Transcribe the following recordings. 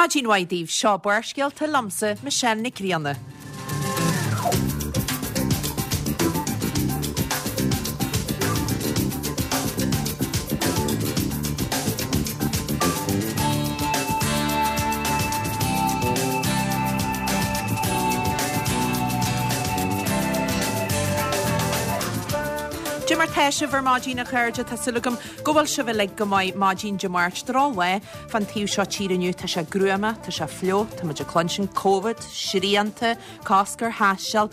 Maidin mhaith daoibh, seo Barrscéalta liomsa, Michelle Nic Grianna. Dé mar tá sibh ar maidin a chairde, tá súil agam go bhfuil sibh uilig go maith maidin Dé Máirt, drochlá fán taobh seo tíre inniu, tá sé gruama, tá sé fliuch, tá muid ag cluinstin Covid, srianta, cosc ar thaisteal.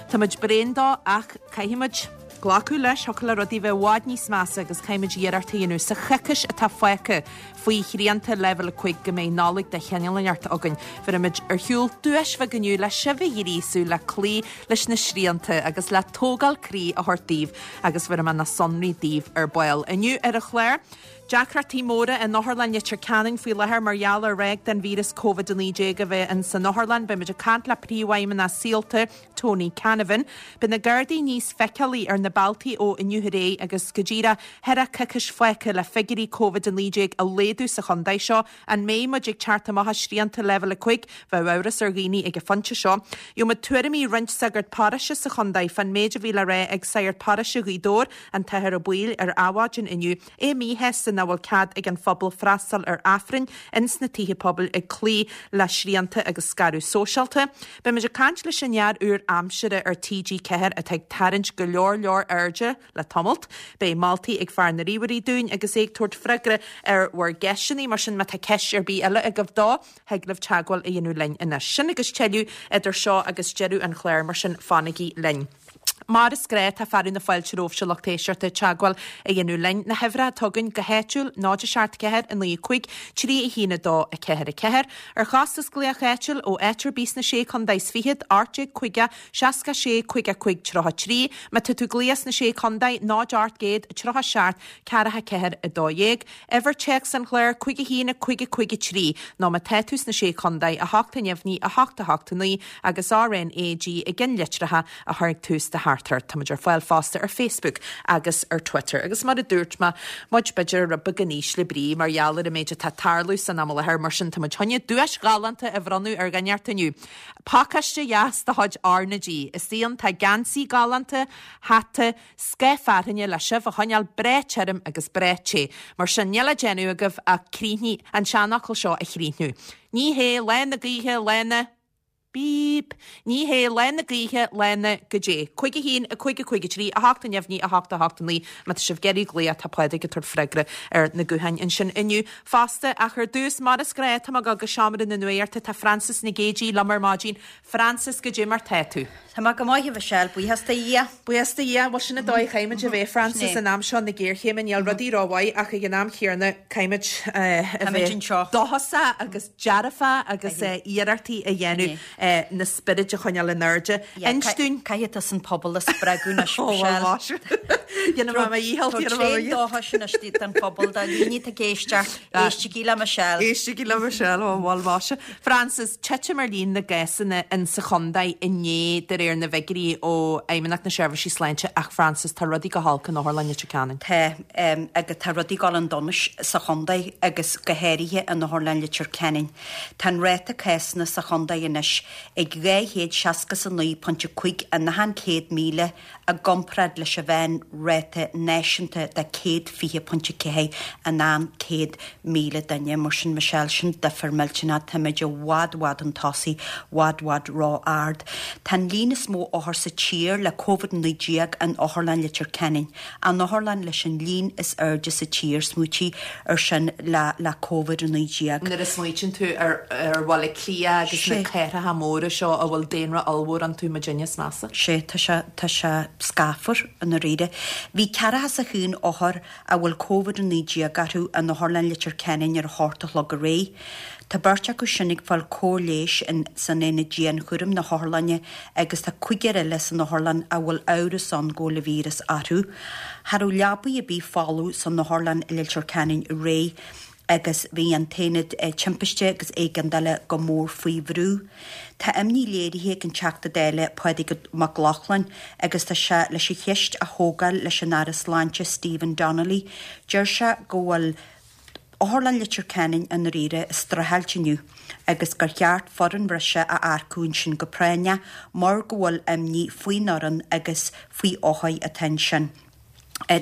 Tá muid bréan dó ach caithfidh muid glacadh leis, thiocfadh le rudaí bheith i bhfad níos measa agus caithfidh muid iarracht a dhéanamh sa choicís atá fágtha faoi shrianta leibhéal 5 go mbeidh Nollaig de chineál inteacht againn. Bhéarfaidh muid ar shiúl duais bheag inniu le sibh a ghríosú le cloí leis na srianta agus le tógáil croí a thabhairt daoibh agus bhéarfaidh mé na sonraí daoibh ar ball. Inniu ar an chlár, Deacrachtaí móra in Otharlann Leitir Ceanainn faoi láthair mar gheall ar ráig den víreas Covid-19 a bheith in san otharlann. Beidh muid ag caint le Príomhfheidhmeannach Saolta, Tony Canavan. Beidh na Gardaí níos feiceálaí ar na bealtaí ó inniu ar aghaidh agus go díreach tá coicís fágtha le figiúirí Covid-19 a laghdú sa chontae seo. An mbeidh muid ag teacht amach as srianta leibhéal 5? Bheadh amhras ar dhaoine ag an phointe seo. Gheobhaimid tuairimí roinnt sagart paróiste sa chontae fán méid a bhí le rá ag sagart paróiste Ghaoth Dobhair, an tAthair Ó Baoill, ar Adhmhaidin inniu. É míshásta nach bhfuil cead ag an phobal freastal ar Aifrinn ins na tithe pobail ag cloí le srianta agus scaradh sóisialta. Beimid ag caint leis an fhear úr aimsire ar TG4 atá ag tarraingt go leor leor airde le tamalt. Beidh moltaí ag fear na ríomhairí dúinn agus é ag tabhairt freagra ar bhur gceisteanna, mar sin má tá ceist ar bith eile agaibh dó, thig libh teagmháil a dhéanamh linn anois. Sin agus tuilleadh idir seo agus deireadh an chláir, mar sin fanaigí linn. Mar is gnáth, tá fearadh na fáilte romhaibhse lucht éisteachta teagmháil a dhéanamh linn. Na huimhreacha atá againn go háitiúil, 0 7 4 9 5 3 1 2 4 4. Ar chostas glaoch áitiúil ó áit ar bith sna Sé Chontae is Fichead, 18 50 66 55 33. Má tá tú ag glaoch sna Sé Chontae, 0 800 37 44 12. Uimhir téacs an chláir, 5 1 5 5 3, nó má tá tú sna Sé Chontae, 8 neamhní 8 8 9 agus RNAG i gceannlitreacha a chur ag tús do theachtaireacht. Táimid ar fáil fosta ar Facebook agus ar Twitter. Agus mar a dúirt mé, muid b'fhéidir rud beag in ísle brí mar gheall ar an méid atá ag tarlú san am i láthair, mar sin táimid chun duais ghalánta a bhronnadh ar dhuine inteacht inniu. Pacáiste dheas de chuid RnaG. Istigh ann tá geansaí galánta, hata, Scáth fearthainne le sibh a choinneáil breá tirim agus breá te. Mar sin, níl le déanamh agaibh ach críochnaigh an seanfhocal seo a chríochnú. Ní hé lá na gaoithe lá na. Bíp! Ní hé lá na gaoithe lá na. Goidé. 5 1 5 5 3 8 neamhní 8 8 9 Má tá sibh ag iarraidh glaoch tá Pádraig ag tabhairt freagra ar na gutháin ansin inniu fosta. Ach ar dtús, mar is gnáth, tá mé ag dul go seomra na nuachta. Tá Frances Nic Géadaigh liom ar maidin. Frances, goidé mar tá tú? Tá mé go maith, a Mhichelle, buíochas do Dhia. Buíochas do Dhia. Bhuel, sin an dóigh a chaithfimid a bheith, Frances, in am seo na géarchéime. Níl rudaí rómhaith ach ag an am chéanna caithfimid a bheith dóchasach agus dearfach agus iarrachtaí a dhéanamh na spioraid a choinneáil in airde. Inis dúinn. Caithfidh tusa an pobal a spreagadh anois, Michelle. Ó, bhuel, más. Dhéanfaidh mé mo dhícheall, déanfaidh mé mo dhícheall. Tréan dóchais anois don phobal, do dhaoine atá ag éisteacht, éistigí le Michelle. Éistigí le Michelle, ó, bhuel, más. Frances, titim ar líon na gcásanna in sa chontae inné de réir na bhfigiúirí ó Fheidhmeannacht na Seirbhísí Sláinte ach Frances, tá rudaí go holc in Otharlann Leitir Ceanainn. Tá, agus tá rudaí ag dul chun donais sa chontae agus go háirithe in Otharlann Leitir Ceanainn. Tá an ráta cásanna sa chontae anois ag 269.5 in achan 100,000 i gcomparáid leis an mheán-ráta náisiúnta de 120.4 in achan 100,000 duine. Mar sin, Michelle, sin difear millteanach. Táimid i bhfad, bhfad chun tosaigh, bhfad, bhfad ró-ard. Tá an líon is mó othar sa tír le Covid-19 in Otharlann Leitir Ceanainn, an otharlann leis an líon is airde sa tír, smaoitigh ar sin, le le Covid-19. Nuair a smaoitíonn tú ar ar Bhaile Átha Cliath agus na cathracha móra seo a bhfuil daonra ollmhór iontu, muidinne is measa. Sea, tá sé, tá sé scáfar i ndáiríre. Bhí ceathracha is a haon othar a bhfuil Covid-19 orthu in Otharlann Leitir Ceanainn ar a hocht a chlog aréir. Tá beirt acu sin ag fáil cóir leighis in san aonad dianchúraim na hotharlainne agus tá cúigear eile san otharlann a bhfuil amhras ann go bhfuil an víreas orthu. Cha raibh leabaí ar bith folamh san otharlann i Leitir Ceanainn aréir agus bhí an t-aonad timpiste agus éigeandála go mór faoi bhrú. Tá imní léirithe ag an Teachta Dála Pádraig Mac Lochlainn agus tá sé leis an cheist a thógáil leis an Aire Sláinte Stephen Donnelly. Deir sé go bhfuil. Otharlann Leitir Ceanainn i ndáiríre ag streachailt inniu agus gur cheart foireann bhreise a earcú ansin go práinneach mar go bhfuil imní faoin fhoireann agus faoi othair atá ansin.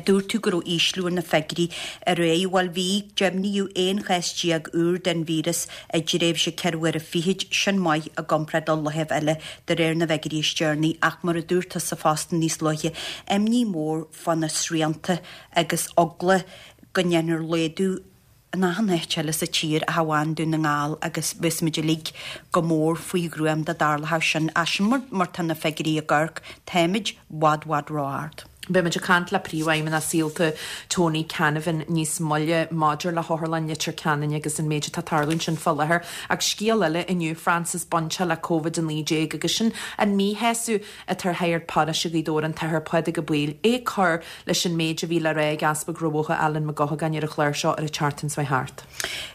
Dúirt tú go raibh ísliú ar na figiúirí aréir. Bhuel bhí, deimhníodh 11 chás úr den víreas i dtréimhse ceithre huaire fichid, sin maith i gcomparáid le laethibh eile de réir na bhfigiúirí is deireanaí ach mar a dúirt tusa fosta níos luaithe, imní mhór fá na srianta agus eagla go ndéanfar laghdú in achan áit eile sa tír ach amháin Dún na nGall agus bheas muid uilig go mór faoi ghruaim dá dtarlódh sin. Ach sin mar tá na figiúirí ag amharc, táimid bhfad bhfad ró-ard. Beidh muid ag caint le Príomhfheidhmeannach Saolta, Tony Canavan, níos moille maidir le hOtharlann Leitir Ceanainn agus an méid atá ag tarlú ansin fá láthair. Ach scéal eile inniu, Frances, bainteach le Covid-19 agus sin an míshásamh atá ar shagart paróiste Ghaoth Dobhair, an tAthair Pádraig Ó Baoill, é ag cur leis an méid a bhí le rá ag Easpag Rath Bhotha Alan Mac Gothagáin ar an chlár seo ar an tseachtain seo thart.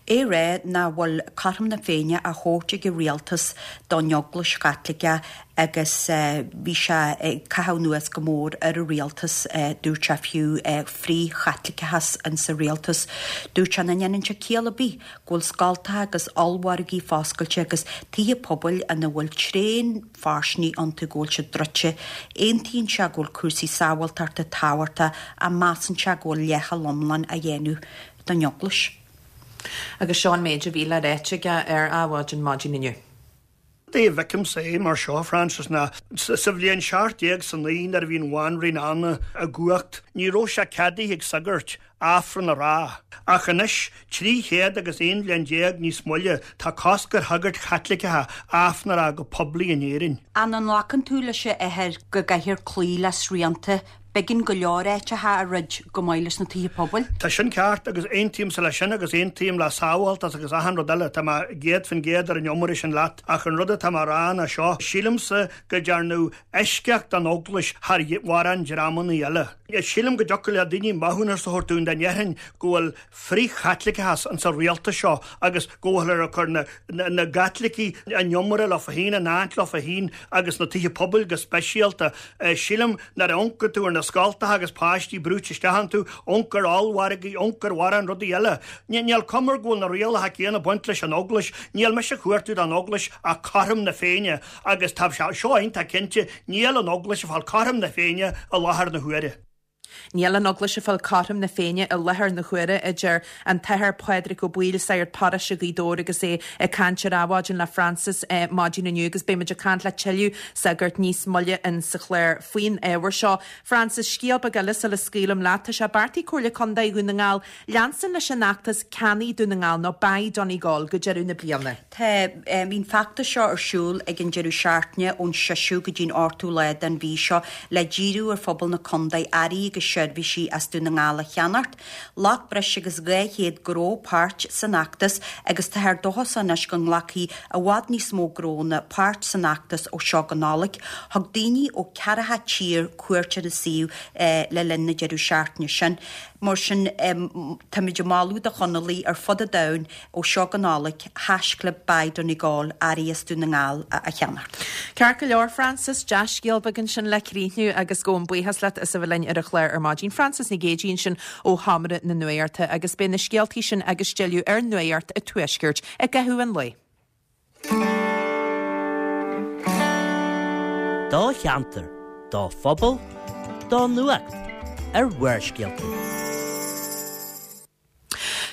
É ag rá nach bhfuil cothrom na Féinne á thabhairt ag an rialtas don Eaglais Chaitliceach agus bhí sé ag caitheamh anuas go mór ar an rialtas, dúirt sé fiú, frith-Chaitliceachas insa rialtas. Dúirt sé nach ndéanann sé ciall ar bith go bhfuil scoltacha agus ollmhargaí foscailte agus tithe pobail ina bhfuil tréan phearsanra iontu go bhfuil siad druidte. Aontaíonn sé go bhfuil cúrsaí sábháilteachta tábhachtach ach measann sé go bhfuil leithcheal iomlán á dhéanamh don Eaglais. Agus seo an méid a bhí le ráite aige ar Adhmhaidin maidin inniu. Rud é a bhfeicimse é mar seo, Frances, ná sa bhliain 1709 nuair a bhí an Bhanríon Anna i gcumhacht, ní raibh sé ceadaithe ag sagairt Aifreann a rá. Ach anois, 300 agus 11 bhliain níos moille, tá cosc ar shagairt Chaitliceacha Aifreann a rá go poiblí in Éirinn. An nglacann tú leis a Athair go gcaithfear cloí le srianta? B'éigean go leor áiteacha a dhruid chomh maith leis na tithe pobail. Tá sin ceart agus aontaímse leis sin agus aontaím le sábháltas agus achan rud eile, tá mé 100% ar an iomaire sin leat ach an rud atá mé a rá ná seo, sílimse go dtearnadh eisceacht don Eaglais thar mhórán dreamanna eile. Sílim go dtiocfadh le daoine maithiúnas a thabhairt dúinn dá ndéarfainn go bhfuil frith-Chaitliceachas insa rialtas seo agus go bhfuilthear ag cur na gCaitlicigh an iomaire leo féin, in áit leo féin agus na tithe pobail go speisialta. Sílim nuair a amharcann tú ar na scoltacha agus páistí brúite isteach iontu, amharc ar ollmhargaí, amharc ar mhórán rudaí eile. Níl cuma go bhfuil na rialacha céanna ag baint leis an Eaglais. Níl mise ag cuartú don Eaglais ach cothrom na Féinne agus tá sé seo iontach cinnte, níl an Eaglais ag fáil cothrom na Féinne i láthair na huaire. Níl an Eaglais ag fáil cothrom na Féinne i láthair na huaire, a deir an tAthair Pádraig Ó Baoill, sagart paróiste Ghaoth Dobhair agus é ag caint ar Adhmhaidin le Frances maidin inniu agus beidh muid ag caint le tuilleadh sagart níos moille in sa chlár faoin ábhar seo. Frances, Scéal beag eile sula scaoilim leat, tá sé beartaithe ag Comhairle Contae Dhún na nGall leanstan leis an fheachtas Ceannaigh Dún na nGall nó Buy Donegal go deireadh na bliana. Tá, bhí an feachtas seo ar siúl ag an deireadh seachtaine ón seisiú go dtí'n ochtú lá den mhí seo le díriú ar phobal na contae earraí agus seirbhísí as Dún na nGall a cheannacht. Ghlac breis agus 200 gnó páirt san fheachtas agus táthar dóchasach anois go nglacfaidh i bhfad níos mó gnónna páirt san fheachtas ó seo go Nollaig. Thug daoine ó ceathracha tír cuairt ar an suíomh le linn na deireadh seachtaine sin. Mar sin, táimid ag moladh do Chonallaigh ar fud an domhain Ó seo go Nollaig, haischlib Buy Donegal, earraí as Dún na nGall a cheannacht. Ceart go leor, Frances, dea-scéal beag ansin le críochnú agus gabhaim buíochas leat as a bheith linn ar an chlár ar maidin. Frances Nic Géadaigh ansin ó Sheomra na Nuachta agus beidh na scéaltaí sin agus tuilleadh ar Nuacht an Tuaiscirt i gcaitheamh an lae. Do cheantar, do phobal, do nuacht ar Bharrscéalta.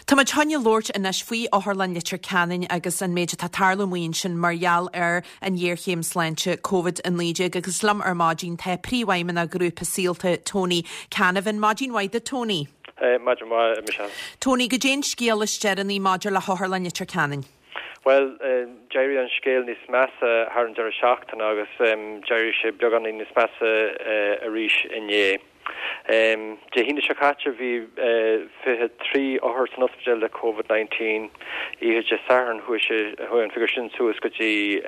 Tá muid chun labhairt anois faoi Otharlann Leitir Ceanainn agus an méid atá ag tarlú amuigh ansin mar gheall ar an ghéarchéim sláinte Covid-19 agus liom ar maidin tá Príomhfheidhmeannach Ghrúpa Saolta, Tony Canavan. Maidin mhaith duit Tony. Maidin mhaith, a Michelle. Tony, goidé an scéal is deireanaí maidir le hOtharlann Leitir Ceanainn? Bhuel, d'éirigh an scéal níos measa thar an deireadh seachtaine agus d'éirigh sé beagáinín níos measa arís inné. Dé hAoine seo caite bhí 23 othar san ospidéal le Covid-19. Oíche Dé Sathairn chuaigh sé, chuaigh an figiúr sin suas go dtí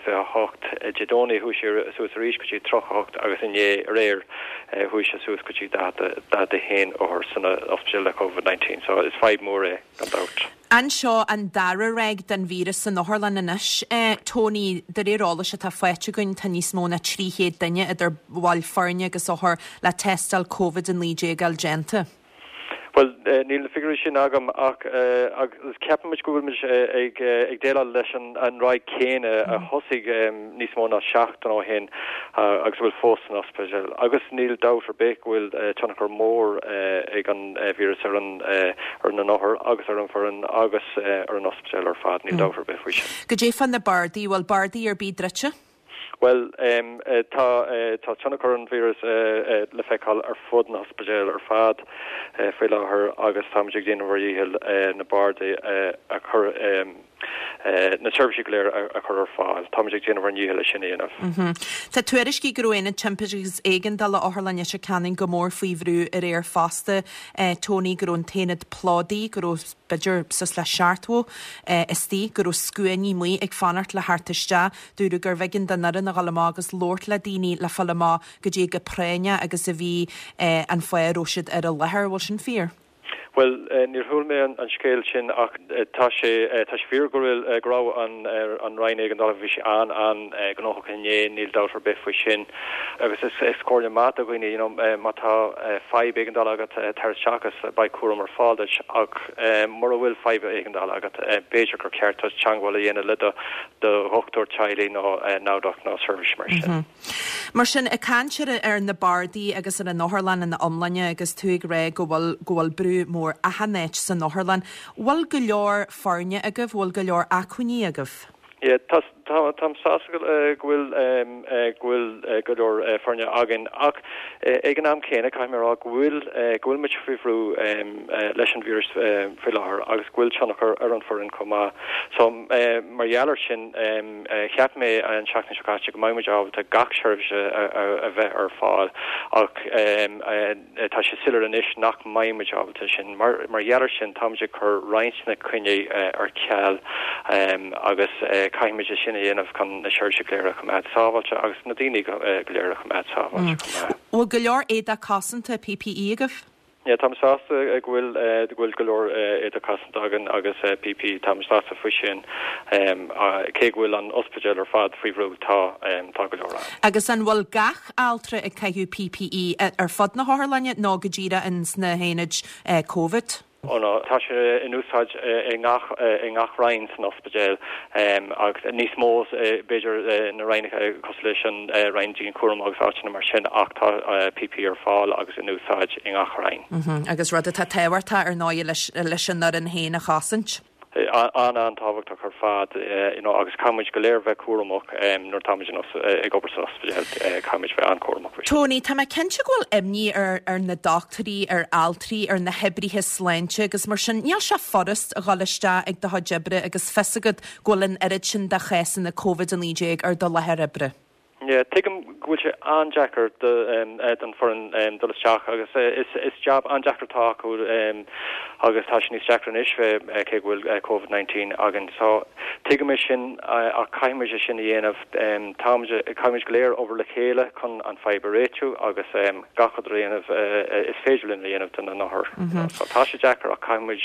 28. Dé Domhnaigh chuaigh sé suas arís go dtí 38 agus inné, aréir, chuaigh sé suas go dtí 41 othar san ospidéal le Covid-19. So is fadhb mhór é, gan dabht. An seo an dara ráig den víreas san otharlann anois, Tony? De réir eolais atá faighte againn, tá níos mó ná 300 duine, idir bhaill foirne agus othair, le tástáil Covid-19 a fháil déanta. Bhuel, níl na figiúirí sin agam ach agus ceapaimid go bhfuil muid ag déileáil leis an ráig céanna a thosaigh níos mó ná seachtain ó shin agus a bhfuil fós san ospidéal. Agus níl dabht ar bith go bhfuil tionchar mór ag an víreas ar an ar na n-othair agus ar an bhfoireann agus ar an ospidéal ar fad, níl dabht ar bith faoi sin. Goidé fá na bardaí, bhfuil bardaí ar bith druidte? Bhuel, tá tá tionchar an víreas le feiceáil ar fud na hospidéal ar fad faoi láthair agus táimid ag déanamh ár dhícheall na bardaí a chur, na seirbhísí go léir a chur ar fáil. Táimid ag déanamh ár ndícheall é sin a dhéanamh. Tá tuairiscí go raibh Aonad Timpiste agus Éigeandála Otharlann Leitir Ceanainn go mór faoi bhrú aréir fosta, Tony, go raibh an t-aonad plódaithe, go raibh b'fhéidir suas le 70 istigh, go raibh scuainí amuigh ag fanacht le theacht isteach. Dúradh gurbh éigean don fhoireann a dhul amach agus labhairt le daoine le fáil amach goidé chomh práinneach agus a bhí an fáth a raibh siad ar an láthair. Bhfuil sin fíor? Bhuel, níor chuala mé an scéal sin ach tá sé tá sé fíor go bhfuil go raibh an an Roinn Éigeandála bhí sé an an-ghnóthach inné, níl dabht ar bith faoi sin. Agus is is comhairle maith do dhaoine you know má tá fadhb éigeandála agat tar isteach agus beidh cúram ar fáil duit ach mura bhfuil fadhb éigeandála agat b'fhéidir gur cheart duit teagmháil a dhéanamh le do do dhochtúir teaghlaigh nó NAVDOC nó seirbhís mar sin. Mar sin, ag caint ar ar na bardaí agus ar an otharlann ina iomláine agus tú ag rá go bhfuil go bhfuil brú mór achan áit san otharlann, bhfuil go leor foirne agaibh, bhfuil go leor acmhainní agaibh? Yeah, tá tá táim sásta go bhfuil go bhfuil go leor foirne againn ach ag an am céanna caithfidh mé a rá go bhfuil go bhfuil muid faoi bhrú leis an víreas faoi láthair agus go bhfuil tionchar ar an bhfoireann chomh maith. So mar gheall air sin, cheap mé an tseachtain seo caite go mbeidh muid ábalta gach seirbhís a bheith ar fáil ach tá sé soiléir anois nach mbeidh muid ábalta sin. Mar gheall air sin, táimid ag cur roinnt na coinní ar ceal agus caithfimid é sin a dhéanamh chun na seirbhísí go léir a choimeád sábháilte agus na daoine go léir a choimeád sábháilte chomh maith. Bhfuil go leor éadach cosanta, PPE, agaibh? Yeah, táim sásta go bhfuil go bhfuil go leor éadach cosanta againn agus PPE, táim sásta faoi sin. Cé go bhfuil an ospidéal ar fad faoi bhrú, tá tá go leor ann. Agus an bhfuil gach altra ag caitheamh PPE ar fud na hotharlainne nó go díreach ins na haonaid Covid? Ó no, tá sé in úsáid i ngach i ngach roinn san ospidéal agus níos mó b'fhéidir na roinneacha cosúil leis an roinn dianchúraim agus áiteanna mar sin ach tá PPE ar fáil agus in úsáid i ngach roinn. Agus rud atá tábhachtach ar ndóigh leis leis an fhoireann féin a chosaint. An-an-tábhachtach ar fad you know agus caithfidh muid go léir bheith cúramach nuair atá muid ag obair san ospidéal, caithfidh muid bheith an-chúramach faoi sin. Tony, tá mé cinnte go bhfuil imní ar ar na dochtúirí, ar altraí, ar na hoibrithe sláinte agus mar sin, níl sé furast a dhul isteach ag do chuid oibre agus fios agat go bhfuil an oiread sin de chásanna Covid-19 ar do láthair oibre. Yeah, tuigim go bhfuil sé an-deacair don foireann dul isteach agus is jab an-deacair atá acu agus tá sé níos deacra anois cé go bhfuil Covid 19 againn. So tuigim é sin ach caithfimid é sin a dhéanamh. Táimid, caithfimid go léir obair le chéile chun an fadhb a réitiú agus gach rud a dhéanamh is féidir linn a dhéanamh do na n-othair. So tá sé deacair ach caithfimid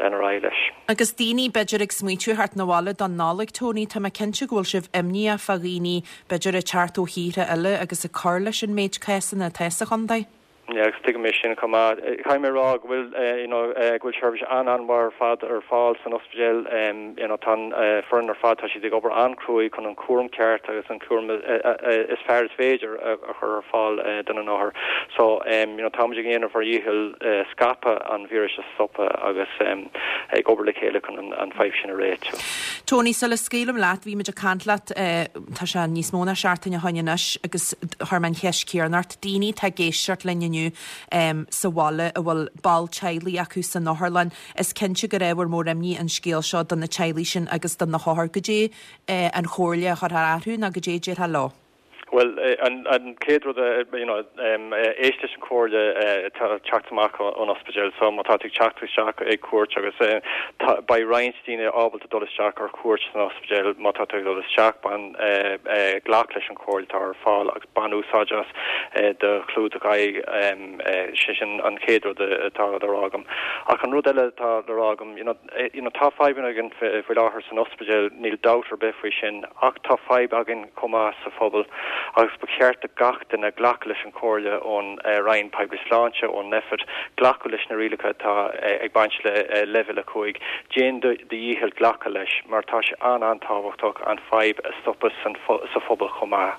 lean ar aghaidh leis. Agus daoine, b'fhéidir, ag smaoitiú theacht 'na bhaile don Nollaig, Tony, tá mé cinnte go bhfuil sibh imníoch fá dhaoine, b'fhéidir, ag teacht ó thíortha eile agus ag cur leis an méid cásanna atá sa chontae. Yeah, agus tuigim é sin chomh maith. Caithfidh mé a rá go bhfuil, you know, go bhfuil seirbhís an-an-mhaith ar fad ar fáil san ospidéal. You know, tá an foireann ar fad, tá siad ag obair an-chruaidh chun an cúram ceart agus an cúram is fearr is féidir a chur ar fáil do na n-othair. So, you know, táimid ag déanamh ár dhícheall scaipeadh an víris a stopadh agus ag obair le chéile chun an fadhb sin a réitiú. Tony, sula scaoilim leat, bhí muid ag caint leat, tá sé níos mó ná seachtain ó shoin anois agus chuir mé an cheist chéanna ort, daoine atá ag éisteacht linn inniu sa bhaile a bhfuil ball teaghlaigh acu san otharlann, is cinnte gur ábhar mór imní an scéal seo do na teaghlaigh sin agus do na hothair. Goidé an chomhairle a chuirfeá orthu nó goidé a déarfá leo? Bhuel, an chéad rud, you know, éist leis an chomhairle atá ag teacht amach ón ospidéal. So má tá tú ag teacht isteach ag cuairt agus beidh roinnt daoine ábalta dul isteach ar cuairt san ospidéal, má tá tú ag dul isteach, bain, glac leis an chomhairle atá ar fáil agus bain úsáid as do chlúdach aghaidh. Sé sin an chéad rud atá le rá agam. Ach an rud eile atá le rá agam, you know, you know, tá fadhbanna againn faoi láthair san ospidéal, níl dabht ar bith faoi sin, ach tá fadhb againn chomh maith sa phobal. Agus ba cheart do gach duine glacadh leis an chomhairle ón Roinn Poiblí Sláinte, ón Nphet, glacadh leis na rialacha atá ag baint le Leibhéal 5. Déan do dhícheall glacadh leis mar tá sé an-an-tábhachtach an fadhb a stopadh sa phobal chomh maith.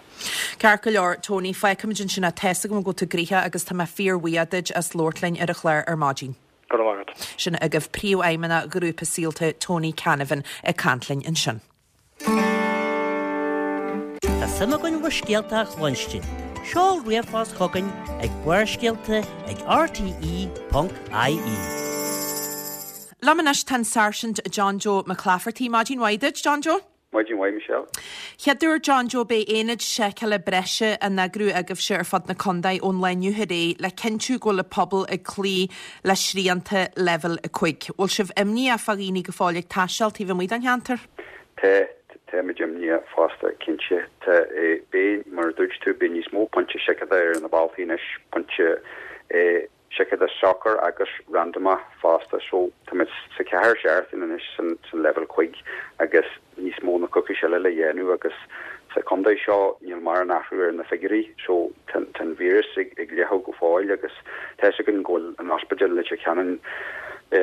Ceart go leor, Tony, fágfaimid ansin é. Tá's agam go bhfuil tú gnoitheach agus tá mé fíorbhuíoch duit as labhairt linn ar an chlár ar maidin. Go raibh maith agat. Sin agaibh Príomhfheidhmeannach Ghrúpa Saolta, Tony Canavan, ag caint linn ansin. Tá suim againn bhur scéalta a chluinstin. Seol ríomhphost chugainn ag Barrscéalta ag rte.ie. Liom anois tá an Sáirsint John Joe McClafferty. Maidin mhaith duit, John Joe. Maidin mhaith, Michelle. Chéaduair, John Joe, beidh aonaid seiceála breise á n-eagrú agaibhse ar fud na contae ón lá inniu ar aghaidh le cinntiú go bhfuil an pobal ag cloí le srianta Leibhéal 5. Bhfuil sibh imníoch fá dhaoine go fóill ag taisteal taobh amuigh den cheantar? Tá, táimid imníoch fosta, cinnte. Tá, beidh, mar a dúirt tú, beidh níos mó pointe seiceála ar na bealtaí anois, pointe seiceála socair agus randamach fosta. So, táimid sa cheathair seachtain anois san leibhéal cuig agus níos mó na coicís eile le dhéanamh agus sa chontae seo níl mórán athrú ar na figiúirí so tá an víreas ag leathadh go fóill agus tá fhios againn go bhfuil an ospidéal i Leitir Ceanainn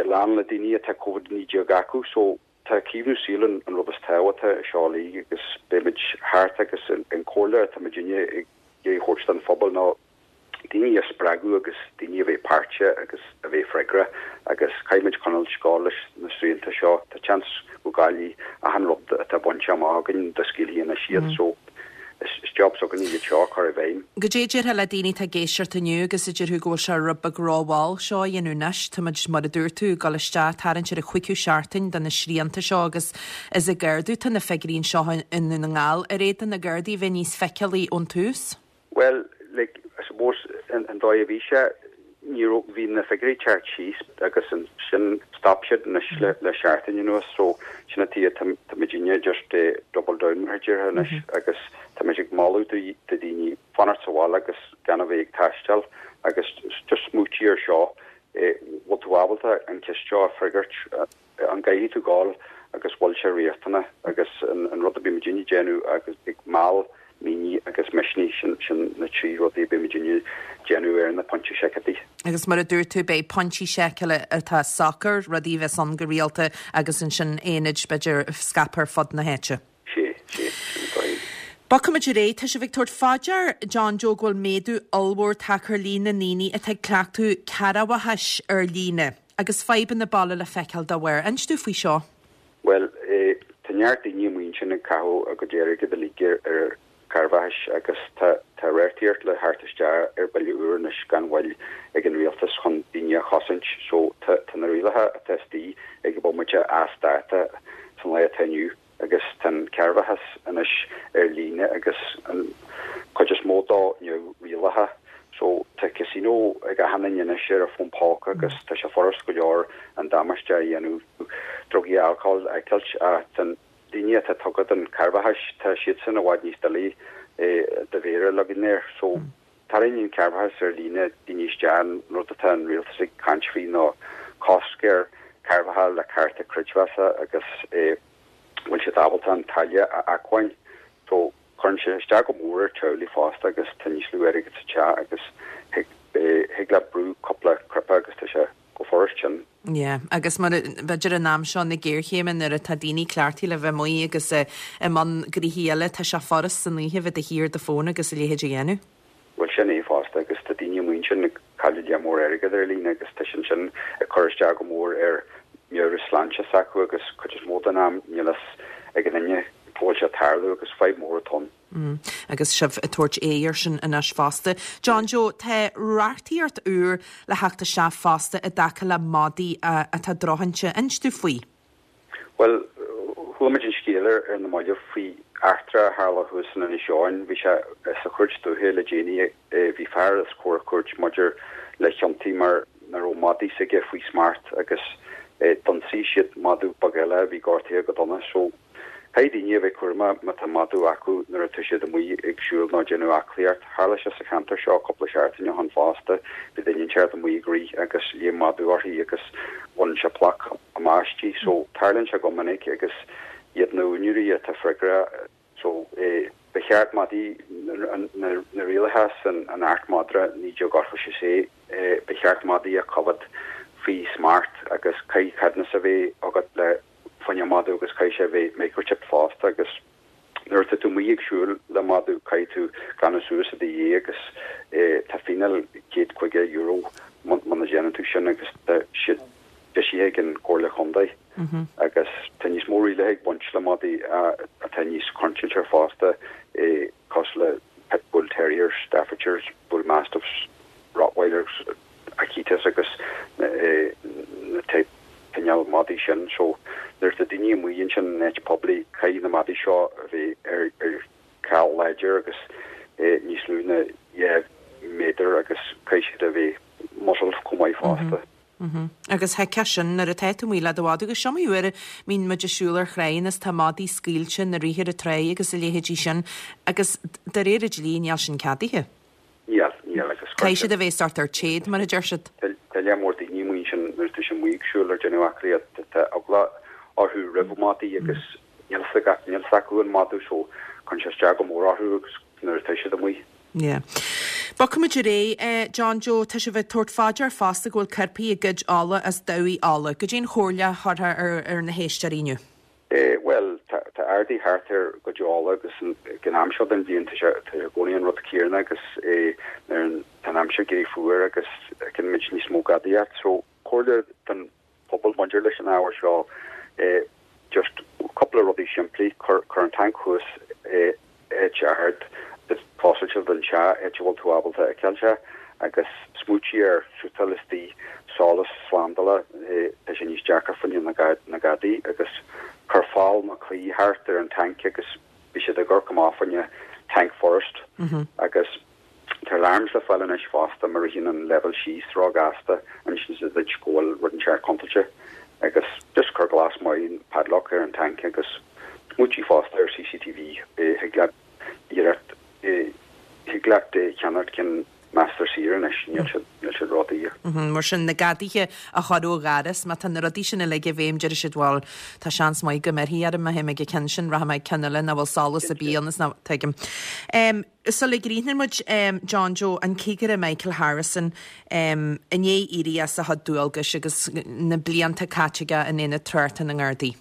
lán le daoine atá Covid-19 acu so tá caomhnú saoil an rud is tábhachtaí seo uilig agus beimid thart agus an comhairle atá muidinne ag iarraidh thabhairt don phobal ná daoine a spreagadh agus daoine a bheith páirteach agus a bheith freagrach agus caithfimid coinneáil ag gabháil leis na srianta seo. Tá seans go gcaillfidh achan rud atá bainte amach againn dá scaoilfí anois iad so is job s'againne iad seo a chur i bhfeidhm. Goidé a déarfá le daoine atá ag éisteacht inniu agus a déarfadh go bhfuil sé rud beag rómhall seo a dhéanamh anois? Táimid, mar a dúirt tú, ag dul isteach, tarraingt ar an chúigiú seachtain de na srianta seo agus is ag ardú tá na figiúirí anseo i nDún na nGall. Ar fhéadfadh na Gardaí a bheith níos feiceálaí ón tús? Bhuel, like, I suppose, an dóigh a bhí sé, ní raibh, bhí na figiúirí ag teacht síos agus ansin stop siad anois le, le seachtain anuas so sin an tuige tá, tá muidinne just eh double down mar a déarfá anois agus tá muid ag moladh do, do dhaoine fanacht sa bhaile agus gan a bheith ag taisteal agus just smaointigh ar seo eh bhfuil tú ábalta an ceist seo a freagairt an gcaithfidh tú gabháil agus bhfuil sé riachtanach agus an rud a bhí muidinne ag déanamh agus ag meall, mínigh agus misnigh, sin sin na trí rudaí a bhí muidinne ag déanamh ar na pointí seiceála. Agus mar a dúirt tú, beidh pointí seiceála atá socair, rudaí a bheas ann go rialta agus ansin aonaid, b'fhéidir, scaipthe ar fud na háite. Sé, sé, sin an dóigh. Bogfaimid ar aghaidh. Tá sibh ag tabhairt fá dear, John Joe, go bhfuil méadú ollmhór tagtha ar líon na ndaoine atá ag cleachtadh cearrbhachais ar líne, agus fadhbanna baile le feiceáil dá bharr. Inis dúinn faoi seo. Bhuel, tá neart daoine amuigh ansin ag caitheamh a gcuid airgid uilig ar chearrbhachais agus tá tá reachtaíocht le theacht isteach ar bille úr anois gan mhoill ag an rialtas chun daoine a chosaint. So tá tá na rialacha atá istigh ag an bomaite as dáta san lá atá inniu. agus tá an cearrbhachas anois ar líne agus an chuid is mó dó neamhrialaithe. So tá casino ag achan duine anois ar a fón póca agus tá sé furast go leor an damáiste a dhéanamh, drugaí, alcól a fheiceáilt ach tá daoine atá tugtha don chearrbhachas, tá siadsan i bhfad níos doiligh do mhéar a leagan air. So tarraingíonn cearrbhachas ar líne daoine isteach, an rud atá an rialtas ag caint faoi ná cosc ar chearrbhachas le cárta creidmheasa agus bhfuil siad ábalta an táille a acmhainn. So cuireann sé isteach go mór ar teaghlaigh fosta agus tá níos lú airgid sa teach agus thig thig leat brú cúpla cnaipe agus tá sé go furast sin. Yeah, agus mar b'fhéidir in am seo na géarchéime nuair atá daoine cleachtaithe le bheith amuigh agus i mbun gnoithí eile, tá sé furast san oíche bheith de shíor ar do fón agus a leithéid a dhéanamh. Bhuel sin é fosta agus tá daoine amuigh ansin ag cailleadh lear mór airgead ar líne agus tá sin sin ag cur isteach go mór ar meabhairshláinte s'acu agus cuid is mó den am níl fhios ag an duine go bhfuil sé ag tarlú agus fadhb mór atá ann. Agus sibh ag tabhairt aghaidh air sin anois fosta. John Joe, tá reachtaíocht úr le theacht isteach fosta i dtaca le madaí atá drochsheinnte. Inis dúinn faoi. Bhuel, chuala muid an scéal ar na mallaibh faoi eachtra a tharla thuas in Inis Eoghain. Bhí sé sa chúirt dúiche le déanaí. Bhí fear os comhair cúirt maidir le chiontaí mar nach raibh madaí s'aige faoi smacht agus d'ionsaigh siad madadh beag eile a bhí gortaithe go dona. So, Caithfidh daoine a bheith cúramach má tá madadh acu nuair atá siad amuigh ag siúl nó ag déanamh aclaíocht. Tharla sé sa cheantar seo cúpla seachtain ó shin fosta. Bhí duine inteacht amuigh ag rith agus léim madadh uirthi agus bhain sé ploc amach aisti. So, tarlaíonn sé go minic agus iad na úinéirí atá freagrach. So, ba cheart madaí. Na rialacha san Acht Madra 1986, ba cheart madaí a choimhéad faoi smacht agus caithfidh ceadúnas a bheith agat le fá choinne madadh agus caithfidh sé a bheith microchipped fosta agus nuair atá tú amuigh ag siúl le madadh caithfidh tú glanadh suas i do dhiaidh agus tá fíneáil €150 muna déanann tú sin agus tá siad eisithe ag an Chomhairle Chontae agus tá níos mó rialacha ag baint le madaí atá níos contúirteach fosta cosúil le Pit Bull Terriers, Staffordshires, Bull Mastiffs, Rottweilers, Akitas agus na type cineál madaí sin. So nuair atá daoine amuigh ansin in áit poiblí caithfidh na madaí seo a bheith ar ar cháil láidir agus níos lú ná 2 méadar agus caithfidh siad a bheith muzzled chomh maith fosta. Agus thuigfeá sin nuair atá tú amuigh le do mhadadh, agus is iomaí uair a mbíonn muid ag siúl ar thráigheanna is tá madaí scaoilte ina rith ar an tráigh agus a leithéidí sin agus de réir an dlí níl sin ceadaithe. Níl, níl agus Caithfidh siad a bheith sort ar téad mar a deir siad. Tá lear mór daoine amuigh ansin nuair atá siad amuigh ag siúl ar déanamh aclaíocht, tá eagla orthu roimh madaí agus níl fhios acu an madadh so cuireann sé isteach go mór orthu agus nuair atá siad amuigh. Yeah. Bogfaimid ar aghaidh, eh, John Joe, tá sibh ag tabhairt fá dear fosta go bhfuil coirpigh ag goid olla as dabhaigh olla. Goidé an chomhairle a thabharfá ar, ar na héisteoirí inniu? Eh, bhuel, tá, tá ardú thart ar ghoid olla agus an, ag an am seo den bhliain tá sé, tá sé i gcónaí an rud céanna agus eh, nuair an, tá an aimsir ag éirí fuar agus feiceann muid níos mó gadaíocht. So, comhairle don pobal maidir leis an ábhar seo, just cúpla rudaí simplí, cuir an tanc thuas áit ard foscailte den teach, áit a bhfuil tú ábalta a fheiceáil sé, agus smaointigh ar suiteáil istigh solas slándála, tá sé níos deacra fá choinne na gadaí, agus cuir fál nó claí thart ar an tanc agus beidh siad ag amharc amach fá choinne tanc furast agus Tá alarms le fáil anois fosta má ritheann an leibhéal síos ró-ghasta, insíonn siad duit go bhfuil rud inteacht contúirteach agus just cuir glas maith padlock ar an tanc agus smaointigh fosta ar CCTV thig leat iarracht thig leat ceannacht cinn measartha saor anois níl siad níl siad ródhaor. Mar sin na gadaithe a chur ó dhoras má tá na rudaí sin uilig i bhfeidhm déarfaidh siad bhuel tá seans maith go mbéarfaí orm má théim ag an ceann sin rachaidh mé ag ceann eile nach bhfuil solas ar bith ann is ná tuigim. Sula gcríochnaíonn muid, John Joe, an Cigire Michael Harrison, i ndiaidh éirí as a chuid dualgais agus na blianta caite aige in Aonad Tráchta na nGardaí.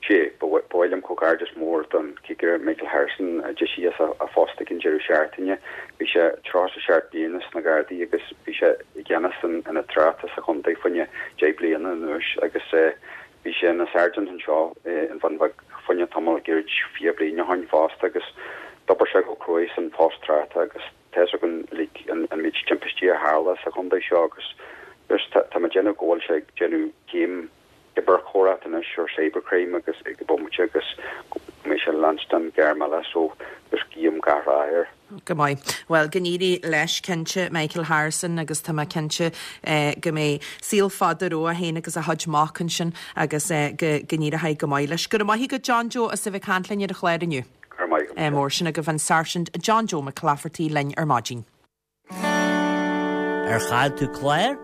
Sea, ba mhaith liom comhghairdeas mór don Chigire Michael Harrison a d'éisigh as a phost ag an deireadh seachtaine. Bhí sé 37 bliana sna Gardaí agus bhí sé i gceannas an Ionaid Tráchta sa chontae fá choinne 10 bliana anuas agus Bhí sé ina Sergeant anseo in Bhun Bheag fá choinne tamall gairid 20 bliain ó shoin fosta agus d'obair sé go cruaidh san phost tráchta agus tá fhios againn uilig an méid timpistí a tharla sa chontae seo agus just tá mé ag déanamh go bhfuil sé ag déanamh céim cibearchoireacht anois or cybercrime agus ag an bomaite agus go mbeidh sé ag leanstan gairm eile so just guím gach rath air. Go maith. Bhuel, go n-éirí leis, cinnte, Michael Harrison, agus tá mé cinnte go mbeidh saol fada rompu féin agus a chuid mac ansin agus go n-éireoidh go maith leis. Go raibh maith agat, John Joe, as a bheith ag caint linn ar an chlár inniu. Go raibh maith agat. Mór sin agaibh an Sáirsint John Joe McClafferty linn ar maidin. Ar chaill tú clár?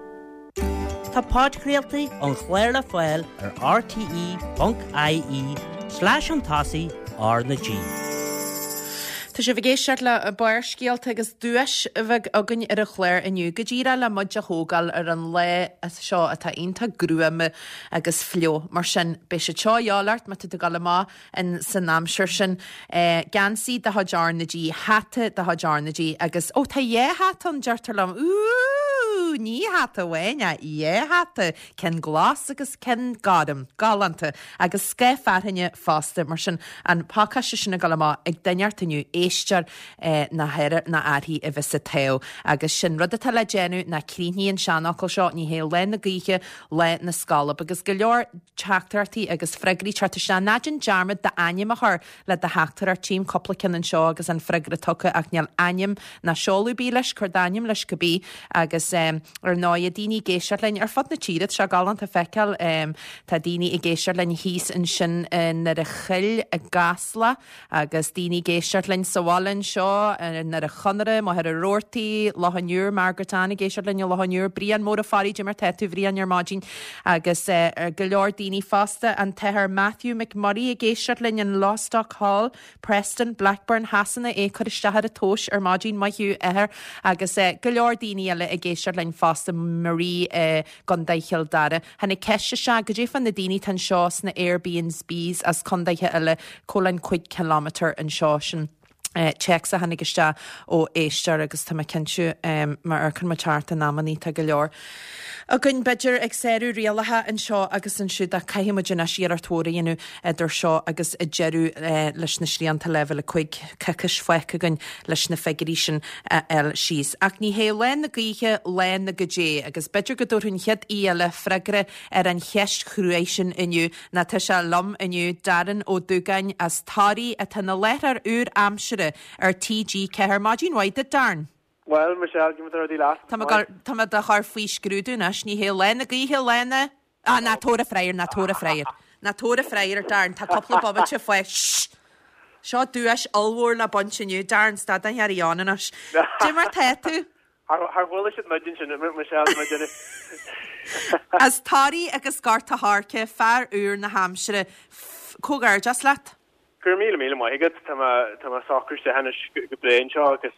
Tá podchraoltaí an chláir le fáil ar rte.ie slash chun tosaigh R na G. Tá sibh ag éisteacht le Barrscéalta agus duais bheag againn ar an chlár inniu, go díreach le muid a thógáil ar an lá seo atá iontach gruama agus fliuch. Mar sin, beidh siad seo a dhíobháil ort má tá tú ag dul amach in san aimsir sin. Geansaí de chuid R na G, hata de chuid R na G agus, ó tá dhá hata ann deirtear liom, úúúú, ní hata amháin ach dhá hata, ceann glas agus ceann gorm, galánta, agus scáth fearthainne fosta, mar sin an pacáiste sin ag dul amach ag duine inteacht inniu, éisteoir nó fear nó uirthi a bheas ag toghadh. Agus sin rud atá le déanamh ná críochnaigh an seanfhocal seo, ní hé lá na gaoithe lá na scolb. Agus go leor teachtaireachtaí agus freagraí teacht isteach. Ná déan dearmad d'ainm a chur le do theachtaireacht. Tchím cúpla ceann anseo agus an freagra tugtha ach níl ainm ná seoladh ar bith leis. Cuir d'ainm leis cibé. Agus ar ndóigh, daoine ag éisteacht linn ar fud na tíre, tá sé galánta feiceáil. Tá daoine ag éisteacht linn thíos ansin i nDoire Choill, i gCasla agus daoine ag éisteacht linn sa. sa bhaile anseo, i nDoire Chonaire, Machaire Rabhartaigh, Loch an Iúir, Margaret Ann ag éisteacht linn i Loch an Iúir, Brian Mór Ó Fearraigh, Cad é mar tá tú, Bhriain, ar maidin agus go leor daoine fosta, an tAthair Matthew McMurray ag éisteacht linn in Lostock Hall, Preston, Blackburn Shasana, é ag cur isteach ar an tomhas ar maidin, maith thú, Athair, agus go leor daoine eile ag éisteacht linn fosta, Marie i gContae Chill Dara. Tháinig ceist isteach, goidé fá na daoine atá anseo sna Airbnbs as contaetha eile, cá bhfuil an 5 kilometre anseo, sin téacs a tháinig isteach ó éisteoir agus tá mé cinnte má amharcann muid thart in amannaí tá go leor againn b'fhéidir ag sárú rialacha anseo agus ansiúd ach caithfidh muid anois iarracht mhór a dhéanamh idir seo agus deireadh leis na srianta leibhéal 5, coicís fágtha againn leis na figiúirí sin a fháil síos. Ach ní hé lá na gaoithe lá na goidé agus b'fhéidir go dtabharfaidh an chéad aoi eile freagra ar an cheist chruaidh sin inniu ná tá sé liom inniu, Darren Ó Dúgáin as Toraigh atá ina láithreoir úr aimsire ar TG4. Maidin mhaith duit, Darren. Bhuel, Michelle, cad é mar tá rudaí leat. Tá mé ag tá mé do chur faoi scrúdú anois. Ní hé lá na gaoithe lá na. Ah, ná tabhair an freagra, ná tabhair an freagra. Ná tabhair an freagra, Darren, tá cúpla bomaite fágtha. Shh! Seo duais ollmhór le baint inniu. Darren, stad den ghearraí ann anois. Cad é mar tá tú? Thar chuala siad muid ansin, Michelle, muid ann. As Toraigh agus Gort a' Choirce, fear úr na haimsire. Comhghairdeas leat. Go raibh míle míle maith agat. Tá mé tá mé ag socrú isteach anois go breá anseo agus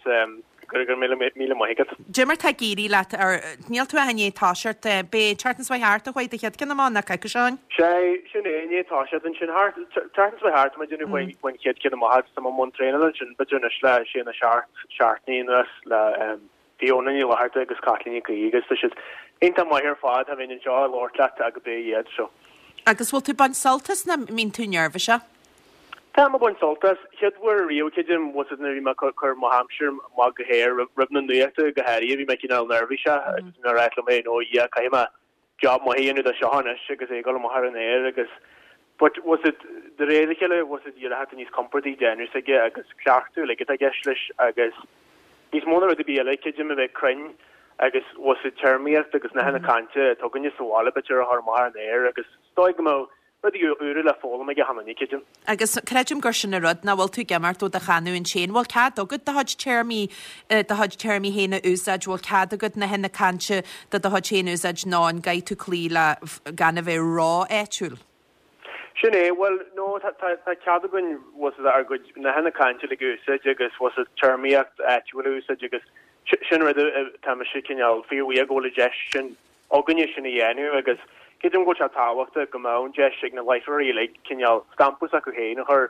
go raibh míle míle maith agat. Cad é mar tá ag éirí leat ar níl tú ach i ndiaidh toiseacht b'é an tseachtain seo thart a chuaigh do chéad ceann amach ná coicís ó shin? Sé sin é i ndiaidh toiseacht ansin thart tseachtain seo thart tá mé ag déanamh faoin faoin chéad ceann amach agus tá mé i mbun traenála ansin b'fhéidir anois le sé nó seacht seachtainí anuas le Fiona Ní Fhlatharta agus Caitlín Nic Aoidh agus tá siad iontach maith ar fad, cha bheinn anseo ag labhairt leat ach gurb é iad so. Agus bhfuil tú ag baint sult as nó mbíonn tú neirbhíseach? Tá mé ag baint sult as. Chéad uair ariamh creidim bhfuil fhios agat nuair a bhí mé ag cur mo aimsir amach go haer roimh na nuachta go háirithe bhí mé cineál neirbhíseach agus bhí mé ag ráit liom féin ó Dhia caithfidh mé job maith a dhéanamh de seo anois agus é ag dul amach ar an aer agus but bhfuil fhios agat de réir a chéile bhfuil fhios agat d'éirigh tú níos compordaí déanamh s'aige agus cleachtadh uilig atá i gceist leis agus níos mó ná rud ar bith eile creidim a bheith cruinn agus bhfuil fhios agat téarmaíocht agus nathanna cainte atá againne sa bhaile b'fhéidir a chur amach ar an aer agus is dóigh go mbeadh Rudaí úra le foghlaim ag achan duine, creidim. Agus creidim gur sin an rud, nach bhfuil tú ag imeacht ó do chanúint féin. Bhfuil cead agat do chuid téarmaí, do chuid téarmaí féin a úsáid, bhfuil cead agat nathanna cainte de do chuid féin a úsáid nó an gcaithfidh tú cloí le gan a bheith ró-áitiúil? Sin é, bhuel, no, tá, tá, tá cead againn, bhfuil fhios agat, ár gcuid nathanna cainte uilig a úsáid agus, bhfuil fhios agat, téarmaíocht áitiúil a úsáid agus sin rud a, tá mise cineál fíorbhuíoch go bhfuil an deis sin againne sin a dhéanamh agus creidim go bhfuil sé tábhachtach go mbeadh an deis ag na láithreoirí uilig cineál stampa s'acu féin a chur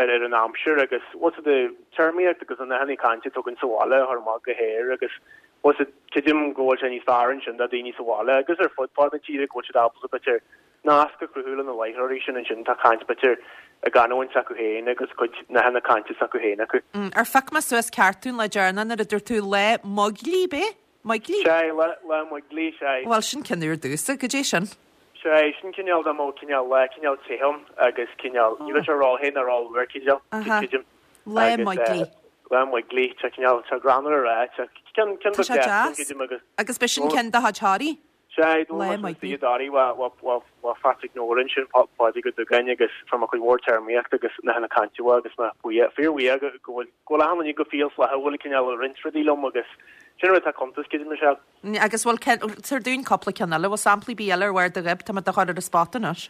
ar ar an aimsir agus bhfuil fhios agat téarmaíocht agus na nathanna cainte atá againn sa bhaile a chur amach go haer agus bhfuil fhios agat creidim go bhfuil sé níos fearr ansin do daoine sa bhaile agus ar fud fad na tíre go bhfuil siad ábalta b'fhéidir nasc a chruthú le na láithreoirí sin ansin atá ag caint b'fhéidir a gcanúint s'acu féin agus cuid nathanna cainte s'acu féin acu. Ar phioc mé suas ceart tú an lá deireanach nuair a dúirt tú lá Mhoiglí, b'é? Moiglí? Sea, lá, lá Moiglí, sea. Bhuel, sin ceann úr domhsa, goidé sin? Sea, sin cineál dá mbeadh cineál lá cineál te ann agus cineál, ní raibh sé ró-the ná ró-fhuar, cineál, creidim. Lá Moiglí. Lá Moiglí, tá cineál, tá greannmhar a rá, tá ceann, ceann Tá sé deas. creidim agus. Agus b'shin ceann de chuid Thoraí? Sea, Lá Moiglí. Ó Phatrick Nolan sin, Pádraig Ó Dúgáin agus fuair mé cuid mhór téarmaíocht agus nathanna cainte uaidh agus mé buíoch, fíorbhuíoch go bhfuil go bhfuil achan duine go fial flaithiúil ag cineál roinnt rudaí liom agus sin rud atá cuntas, creidim, Michelle. Agus bhfuil, tabhair dúinn cúpla ceann eile, bhfuil samplaí ar bith eile ar bharr do ghoib, tá mé do chur ar an spot anois.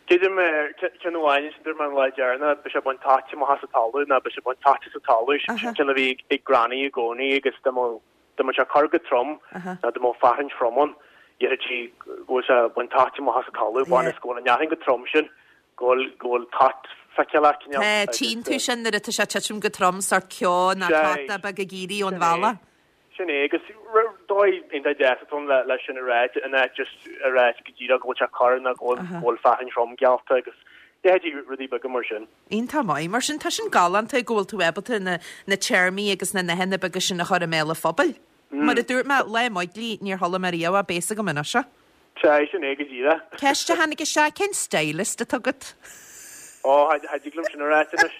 Creidim, ceann amháin ansin dúirt mé an lá deireanach, beidh sé ag baint toit amach as an talamh nó beidh sé ag baint toite sa talamh, sin ceann a bhí ag Granny i gcónaí agus dá mbeadh Dá mbeadh sé ag cur go trom, nó dá mbeadh fearthainn throm ann, déarfaí go bhfuil sé ag baint toit amach as an talamh, amhail is go bhfuil an fhearthainn chomh trom sin, go bhfuil, go bhfuil toit feiceálach, cineál. Tá, tchíonn tú sin nuair atá sé ag titim go trom, sórt ceo nó tota beag ag éirí ón bhealach. Sin é, agus dóigh iontach deas atá ann le sin a rá, in áit just a rá go díreach go bhfuil sé ag cur nó go bhfuil, go bhfuil fearthainn throm geallta agus leithéidí rudaí beaga mar sin. Iontach maith. Mar sin, tá sin galánta go bhfuil tú ábalta na na téarmaí agus na nathanna beaga sin a chur i mbéal an phobail. Mar a dúirt mé, lá Moiglí, níor chuala mé riamh é, beidh a fhios agam anois é. Sea, sin é go díreach. Ceist a tháinig isteach, cén stylist atá agat? Ó, cha dtig liom sin a ráit anois.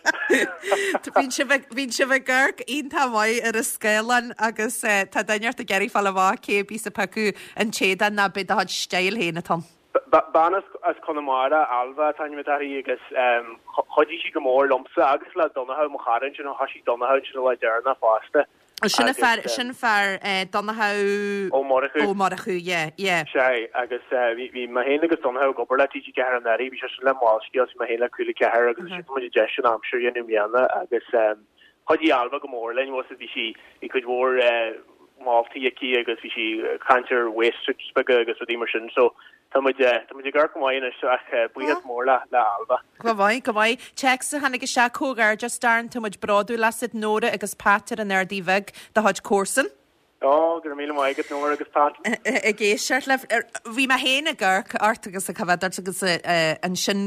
Bíonn sibh ag, bíonn sibh ag amharc iontach maith ar an scáileán agus tá duine ort ag iarraidh fáil amach cé a bíos ag piocadh an t-éadán ná b'é do chuid style féin atá ann. Bean as Conamara, Ailbhe an t-ainm atá uirthi agus chuidigh sí go mór liomsa agus le Donnchadh, mo chara ansin, thoisigh Donnchadh ansin an lá deireanach fosta. Sin an fear, sin fear Donnchadh Ó Murchú. Ó Murchú, yeah, yeah. Sea, agus bhí mé féin agus Donnchadh ag obair le TG4 anuraidh, bhí seisean le Molscéal, bhí mé féin le Cúla 4 agus ansin fuair muid an deis an aimsir a dhéanamh i mbliana agus chuidigh Ailbhe go mór linn, bhfuil 's a'd, bhí sí, bhí cuid mhór moltaí aici agus bhí sí ag caint ar waste beaga agus rudaí mar sin so tá muid, tá muid ag amharc go maith anois ach buíochas mór le le Ailbhe. Go maith, go maith. Téacs a tháinig isteach, Comhghairdeas Darren, tá muid bródúil asat, Nóra agus Pat ar an Ardaidh Bhig, do chuid comharsan. Ó, go raibh míle maith agat Nóra agus Pat. Ag éisteacht libh. Bhí mé féin ag amharc ort agus ag coimhéad ort agus ansin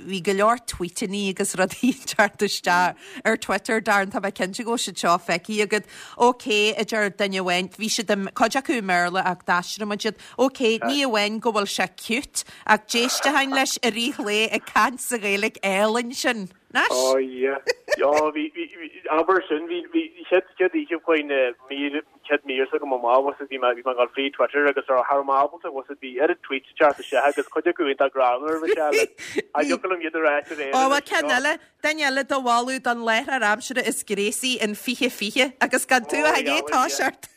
bhí go leor tweetannaí agus rudaí ag teacht isteach ar Twitter, Darren, tá mé cinnte go bhfuil siad seo feicthe agat. OK, a deir duine amháin, bhí siad, cuid acu i mBéarla ach d'aistrigh muid iad. OK, ní amháin go bhfuil sé cute, ach d'éisteoinn leis i rith an lae ag caint sa Ghaeilge álainn sin. Anois! Ó yeah. Ó bhí, bhí, bhí, abair sin, bhí, bhí, chéad, chéad oíche chuaigh na mír, chéad mír s'agam amach, bhfuil 's a'd, bhí mé, bhí mé ag dul fríd Twitter agus cha raibh mé ábalta, bhfuil 's a'd, bhí oiread tweets ag teacht isteach agus cuid acu iontach greannmhar, bhí sé le, cha dtiocfadh liom iad a ráit ar aer Ó, bhuel, ceann eile, duine eile do mholadh don láithreoir aimsire is gréasaí in 2020 agus gan tú ach i ndiaidh toiseacht.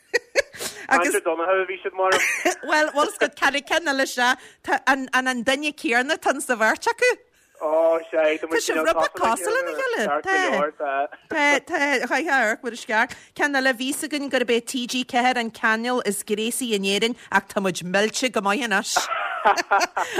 Agus. Caint ar Donnchadh a bhí siad mar. Bhuel, bhfuil 's agat, ceann ceann eile sea, tá an, an an duine céanna atá sa bheirt acu. Ó, sea, tá muid Tá sibh rud beag cosúil lena chéile. Ceart go leor, tá. Tá, tá, chaithfeá amharc mar is ceart. Ceann eile, bhí 's againn gurb é TG4 an cainéal is gréasaí in Éirinn ach tá muid millte go maith anois.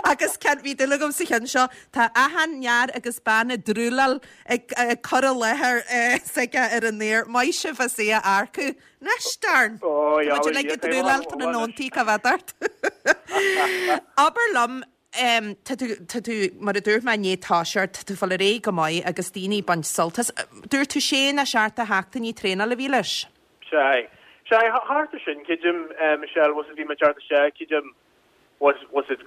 Agus ceann, bhí dúil agam sa cheann seo, tá achan fhear agus bean ag drúláil ag cur i láthair s'aige ar an aer. Maith sibh as é a earcú. Anois, Darren! Ó, Tá muid uilig ag drúláil tráthnóntaí, cá bhfeadar ort. Abair liom, Tá tú, tá tú, mar a dúirt mé i ndiaidh toiseacht, tá tú ag fáil ar aghaidh go maith agus daoine ag baint sult as. Dúirt tú sé nó seacht de sheachtainí traenála a bhí leis? Sea. Sea, thart ar sin, creidim, Michelle, bhfuil 's a'd, bhí mé ag teacht isteach, creidim, bhfuil 's a'd,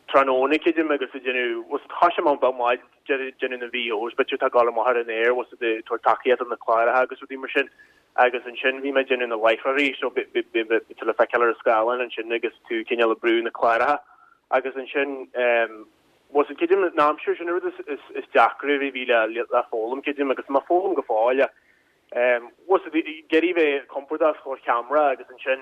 tráthnóna, creidim, agus ag déanamh, bhfuil 's a'd, thoisigh mé am beag maith ag déanamh na VOs, b'fhéidir atá ag dul amach ar an aer, bhfuil 's a'd, ag tabhairt tacaíocht do na cláracha agus rudaí mar sin. Agus ansin bhí mé ag déanamh na láithreoirí, so bhí tú le feiceáil ar an scáileán ansin agus tú cineál ag brú na cláracha. Agus ansin, bhfuil 's a'd, creidim, an aimsir sin an rud is deacra a bhí le foghlaim, creidim, agus tá mé ag foghlaim go fóill ach, bhfuil 's a'd, ag iarraidh bheith compordach os comhair cheamara agus ansin,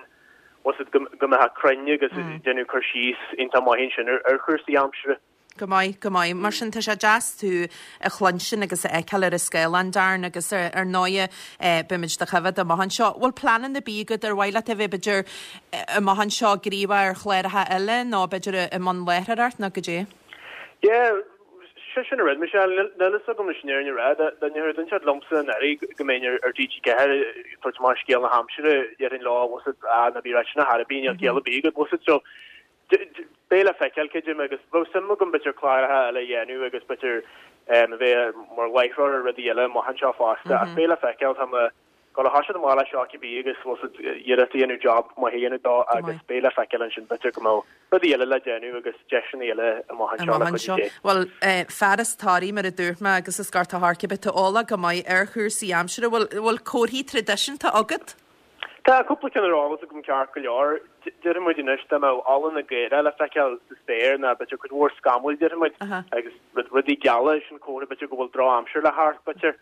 bhfuil 's a'd, go mbeifeá cruinn agus déanamh cur síos iontach maith ansin ar chúrsaí aimsire. Go maith, go maith. Mar sin, tá sé deas tú a chluinstin agus a fheiceáil ar an scáileán, Darren, agus ar ndóighe, beimid do choimhéad amach anseo. Bhfuil pleananna ar bith agat ar mhaith leat a bheith, b'fhéidir, amach anseo gníomhach ar chláracha eile nó b'fhéidir i mbun láithreoireacht nó goidé? Yeah, sé sin an rud, Michelle, níl fhios agam leis an fhírinne a rá, dá ndéarfadh duine inteacht liomsa anuraidh go mbeinn ar TG4 ag tabhairt amach scéal na haimsire, déarfainn leo, bhfuil 's a'd, ah, ná bí ag ráit sin ar chor ar bith, níl ciall ar bith agat, bhfuil 's a'd, so, Beidh le feiceáil, creidim, agus bheadh suim agam b'fhéidir cláracha eile a dhéanamh agus b'fhéidir a bheith mar láithreoir ar rudaí eile amach anseo fosta, ach beidh le feiceáil. Tá mé ag dul a thoiseacht amach leis seo cibé agus bhfuil 's a'd iarracht a dhéanamh job maith a dhéanamh dó agus beidh le feiceáil ansin b'fhéidir go mbeadh rudaí eile le déanamh agus deiseanna eile amach anseo le cuidiú Dé. Bhuel, fear as Toraigh mar a dúirt mé agus as Gort a' Choirce, beidh tú eolach go maith ar chúrsaí aimsire. Bhfuil comharthaí traidisiúnta agat? Tá cúpla ceann ar eolas agam ceart go leor. Déarfaidh muid anois dá mbeadh ola na gcaorach le feiceáil sa spéir nó b'fhéidir cuid mhór scamaill déarfaidh muid agus rudaí geala sin comhartha b'fhéidir go bhfuil drochaimsir le theacht b'fhéidir.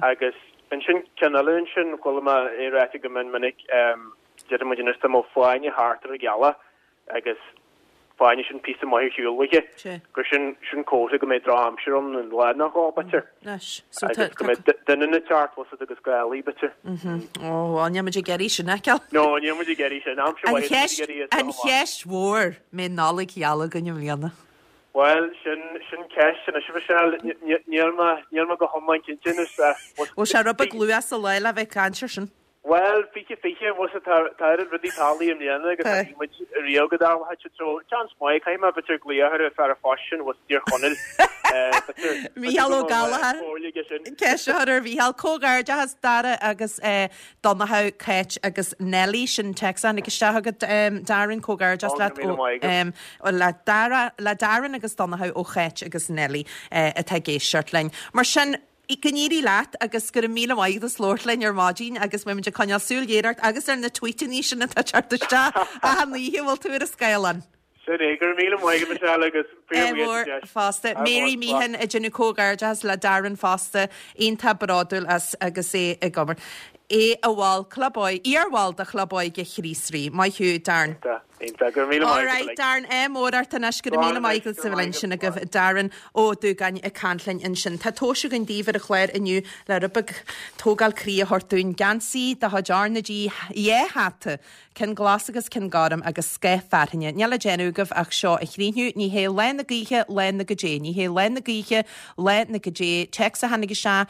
Agus ansin ceann eile ansin chuala mé é ráite go mion minic déarfaidh muid anois dá mbeadh fáinne thart ar an ghealach agus fáinne sin píosa maith ar shiúl uaithi, gur sin sin comhartha go mbeidh drochaimsir ann an lá nó dhó, b'fhéidir. Agus go mbeidh doineann ag teacht, bhfuil 's a'd, agus gálaí, b'fhéidir. Ó, bhuel, níl muid ag iarraidh sin a fheiceáil. No, níl muid ag iarraidh sin. Aimsir mhaith atá muid ag iarraidh as seo amach. An cheist mhór, mbeidh Nollaig gheal againn i mbliana? Bhuel, sin sin ceist anois, a Mhichelle. Níl mé níl mé go hiomlán cinnte anois. Bhfuil sé rud beag luath sa lá le bheith ag caint ar sin? Bhuel, 20 20, bhfuil 's a'd, tá tá oiread rudaí tarlaithe i mbliana agus tá bhí muid riamh go dtarlódh siad so seans maith, caithfidh mé b'fhéidir glaoch ar an fear an phoist sin, bhfuil 's a'd, i dTír Chonaill, b'fhéidir Mícheál Ó go mbeadh Gallchóir, comhairle aige sin. Ceist a chur ar Mhícheál. Comhghairdeachas Dara agus Donnchadh, Cáit agus Nellie, sin téacs a tháinig isteach agat Darren, comhghairdeas Ó, leat go raibh míle maith agat. ó le Dara, le Darren agus Donnchadh ó Cháit agus Nellie atá ag éisteacht linn. Mar sin, Go n-éirí leat agus go raibh míle maith agat as labhairt linn ar maidin agus beidh muid ag coinneáil súil ghéar ort agus ar na tweetannaí sin atá ag teacht isteach achan oíche a bhfuil tú ar an scáileán. Sin é, go raibh míle maith agat Michelle agus fíor bhuíoch as an deis. Fosta. Mary Meehan ag déanamh comhghairdeachas le Darren fosta, iontach bródúil as agus é ag obair. É ina bhall club óige, iarbhall de Chlub Óige Chríost Rí. Maith thú Darren. Iontach, iontach. Go raibh míle maith agat. Alright Darren, ádh mór ort anois. Go raibh míle maith agat as a bheith linn. Sin agaibh Darren Ó Dúgáin ag caint linn ansin. Tá tomhais againn daoibh ar an chlár inniu le rud beag tógáil croí a thabhairt dúinn. Geansaí de chuid R na G, dhá hata Ceann glas agus ceann gorm agus scáth fearthainne. Níl le déanamh agaibh ach seo a chríochnú. Ní hé lá na gaoithe lá na goidé. Ní hé lá na gaoithe lá na goidé. Téacs a tháinig isteach.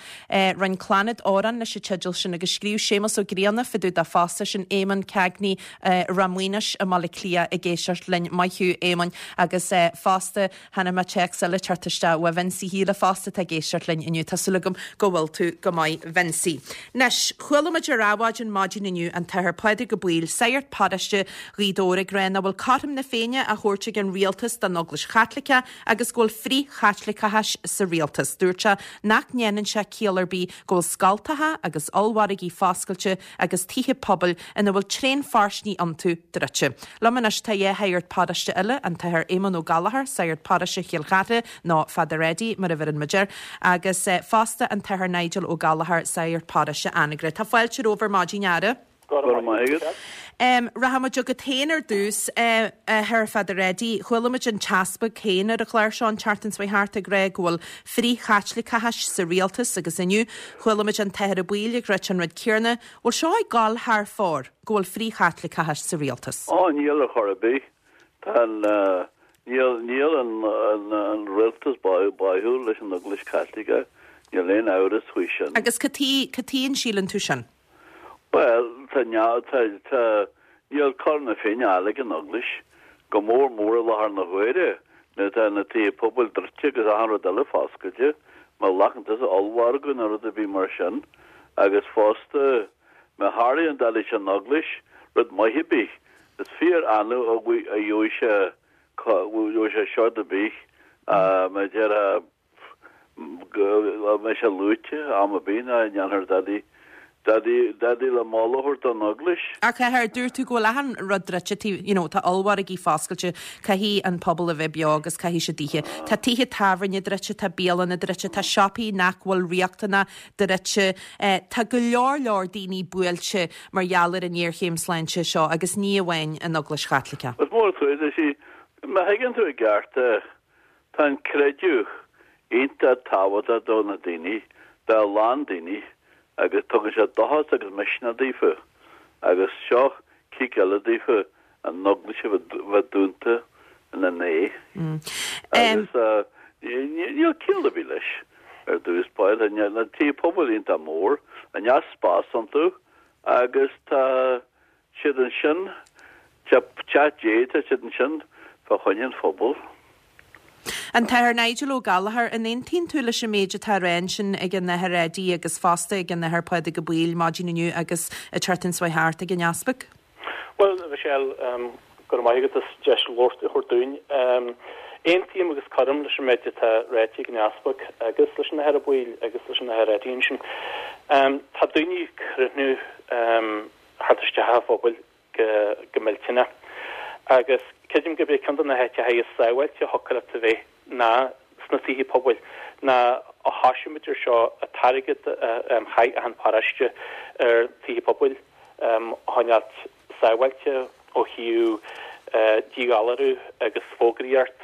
Roinn Clannad amhrán leis an teideal sin agus scríobh Séamus Ó Grianna fá dtaobh de fosta. Sin Éamonn Cagney Ráth Maonais i mBaile Átha Cliath ag éisteacht linn. Maith thú Éamonn. Agus fosta. Chonaic mé téacs eile teacht isteach ó Vincie Shíle fosta atá ag éisteacht linn inniu. Tá súil agam go bhfuil tú go maith Vincie. Anois, chuala muid ar Adhmhaidin maidin inniu an tAthair Pádraig Ó Baoill, sagart paróiste Ghaoth Dobhair ag rá nach bhfuil cothrom na Féinne á thabhairt ag an rialtas don Eaglais Chaitliceach agus go bhfuil frith-Chaitliceachas sa rialtas. Dúirt sé nach ndéanann sé ciall ar bith go bhfuil scoltacha agus ollmhargaí foscailte agus tithe pobail ina bhfuil tréanphearsanra iontu druidte. Liom anois tá dhá shagart paróiste eile, an tAthair Éamonn Ó Gallchóir, sagart paróiste Chill Chartha, nó Father Eddie mar a bheireann muid air, agus fosta an tAthair Nigel Ó Gallchóir, sagart paróiste Anagaire. Tá fáilte romhaibh ar maidin, a fheara. Go raibh maith agat. Rachaidh muid chugat féin ar dtús, a Athair Father Eddie. Chuala muid an tEaspag féin ar an chlár seo an tseachtain seo thart ag rá go bhfuil frith-Chaitliceachas sa rialtas agus inniu chuala muid an tAthair Ó Baoill ag ráit an rud céanna. Bhfuil seo ag gabháil thar fóir, go bhfuil frith-Chaitliceachas sa rialtas? Ó, níl ar chor ar bith. Tá an, níl, níl an, an, an rialtas báúil leis an Eaglais Chaitliceach, níl aon amhras faoi sin. Agus cad chuige, cad chuige an síleann tú sin? Bhuel, tá, tá, tá, níl cothrom na Féinne á fháil ag an Eaglais, go mór mór i láthair na huaire nuair atá na tithe pobail druidte agus achan rud eile foscailte, má ghlacann tusa ollmhargadh nó rud ar bith mar sin, agus fosta, má tharlaíonn dadaí leis an Eaglais, rud maith ar bith, is fíor annamh a gheobhaidh sé, gheobhaidh sé seod ar bith, mar a déarfá, go mbeidh sé luaite am ar bith ná ndéanfar dadaí, dadaí, dadaí le moladh a thabhairt don Eaglais. Ach a Athair, dúirt tú go bhfuil achan rud druidte, taobh, you know, tá ollmhargaí foscailte, caithfidh an pobal a bheith beo agus caithfidh siad ithe. Tá tithe tábhairne druidte, tá bialanna druidte, tá siopaí nach bhfuil riachtanach druidte, tá go leor leor daoine buailte mar gheall ar an ngéarchéim sláinte seo agus ní amháin an Eaglais Chaitliceach. Is mór an trua é sin. Má thuigeann tú i gceart é, Tá an creideamh iontach tábhachtach do na daoine, do a lán daoine, agus tugann sé dóchas agus misneach daofa. Agus seo cic eile daofa an Eaglais a bheith dúnta ina n-aghaidh. Agus níl ciall ar bith leis ar dtús báire. Tá na tithe pobail iontach mór, tá neart spás iontu agus tá siad ansin, teach Dé, tá siad ansin fá choinne an phobail. An tAthair Nigel Ó Gallchóir, an aontaíonn tú leis an méid atá á rá ansin ag an Athair Eddie agus fosta ag an Athair Pádraig Ó Baoill maidin inniu agus an tseachtain seo thart ag an Easpag? Bhuel, a Mhichelle, go raibh maith agat as deis labhairt a thabhairt dúinn. Aontaím agus cuirim leis an méid atá ráite ag an Easpag agus leis an Athair Ó Baoill agus leis an Athair Eddie ansin. Tá daoine ag críochnú theacht isteach sa phobal go millteanach. Agus creidim gurb é ceann de na háiteacha is sábháilte a thiocfadh leat a bheith ná sna tithe pobail, ná ó thoisigh muid ar seo, an t-airgead a chaith achan paróiste ar tithe pobail a choinneáilt sábháilte ó thaobh díghalarú agus fógraíocht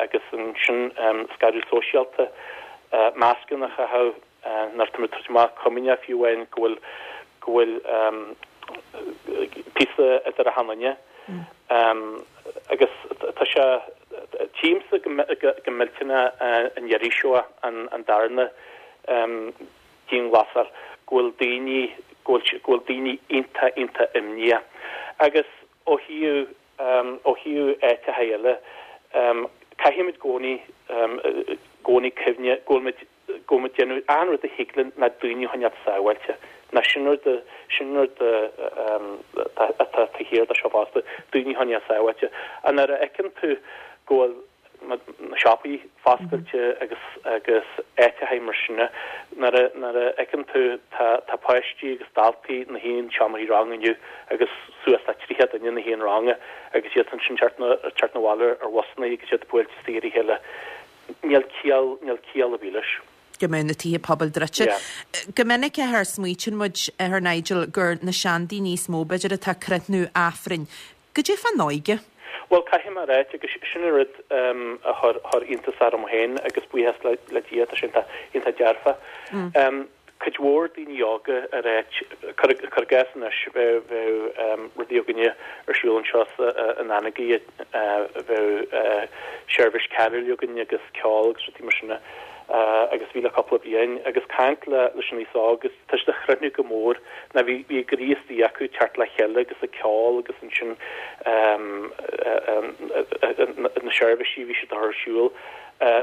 agus ansin scaradh sóisialta, mascanna a chaitheamh. Nuair atá muid ag tabhairt amach comaoineach fiú amháin go bhfuil go bhfuil píosa idir achan duine. Agus tá sé, tchímse go millteanach an iarraidh seo, an darna dianghlasáil, go bhfuil daoine, go bhfuil go bhfuil daoine iontach iontach imníoch. Agus ó thaobh ó thaobh áiteacha eile, caithfimid i gcónaí i gcónaí cuimhne go bhfuil muid go bhfuil muid ag déanamh achan rud a thig linn le daoine a choinneáil sábháilte. Ná sin rud, sin rud atá taobh thiar de seo fosta, daoine a choinneáil sábháilte. Ach nuair a fheiceann tú go bhfuil na siopaí foscailte agus agus áiteachaí mar sin, nuair a nuair a fheiceann tú tá tá páistí agus daltaí na haon seomraí ranga inniu agus suas le 30 duine na haon ranga agus iad ansin teacht teacht 'na bhaile ar bhusanna agus iad buailte istigh ar a chéile. Níl ciall níl ciall ar bith leis. go mbeadh na tithe pobail druidte. Go minic a Athair, smaoitíonn muid, a Athair Nigel, gur na seandaoine is mó, b'fhéidir, atá ag crothnú Aifrinn. Goidé fán óige? Bhuel, caithfidh mé a ráit, agus sin an rud a chuir chuir iontas orm féin, agus buíochas le le Dia, tá sé iontach iontach dearfa. Cuid mhór daoine óga ag ráit, cuir i gcás anois, bheadh bheadh rudaí againne ar siúl anseo sa in Anagaire, bheadh seirbhís carúil againn agus ceol agus rudaí mar sin agus bhí le cúpla bliain agus caint le leis an aos óg agus tá siad ag crothnú go mór ná bhí bhí a gcroí istigh acu teacht le chéile agus ag ceol agus ansin na seirbhísí a bhí siad a chur ar siúl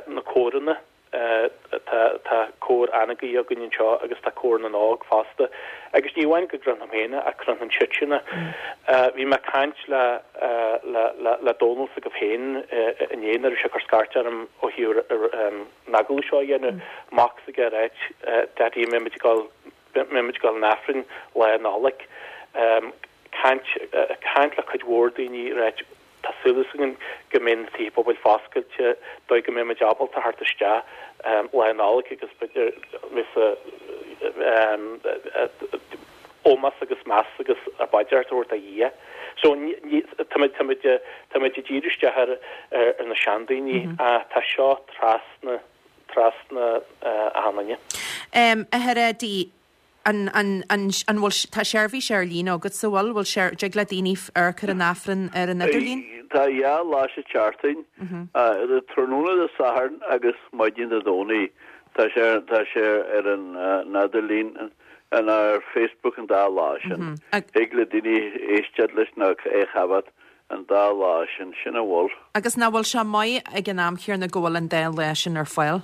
na córanna tá tá cór Anagaire againn anseo agus tá cór na nÓg fosta agus ní amháin go gcrothnaim féin é ach crothnaíonn siadsan é. Bhí mé ag caint le le le le Dónal s'agaibh féin inné nuair a bhí sé ag cur scairt orm ó thaobh an agallamh seo a dhéanamh, mac s'aige ag ráit, Daddy, an mbeidh muid ag dul mbeidh muid ag dul an Aifrinn lá Nollag. Caint caint le cuid mhór daoine ag ráit Tá súil againn go mbeidh na tithe pobail foscailte, dóigh go mbeidh muid ábalta theacht isteach Lá Nollag agus b'fhéidir ómós agus meas agus paidir a thabhairt do Dhia. So táimid táimid táimid ag díriú isteach ar ar na seandaoine ach tá seo trasna trasna achan duine. A Athair Eddie, An, an, an, an bhfuil, tá seirbhís ar líne agatsa, bhfuil, bhfuil sé, dtig le daoine amharc ar an Aifreann ar an idirlíon? Tá dhá lá sa tseachtain, tráthnóna Dé Sathairn agus maidin Dé Domhnaigh. Tá sé, tá sé ar an idirlíon, an ar Facebook an dá lá sin. Thig le daoine éisteacht leis nó é a choimhéad an dá lá sin, sin a bhfuil. Agus nach bhfuil sé maith ag an am chéanna go bhfuil an dá lá sin ar fáil?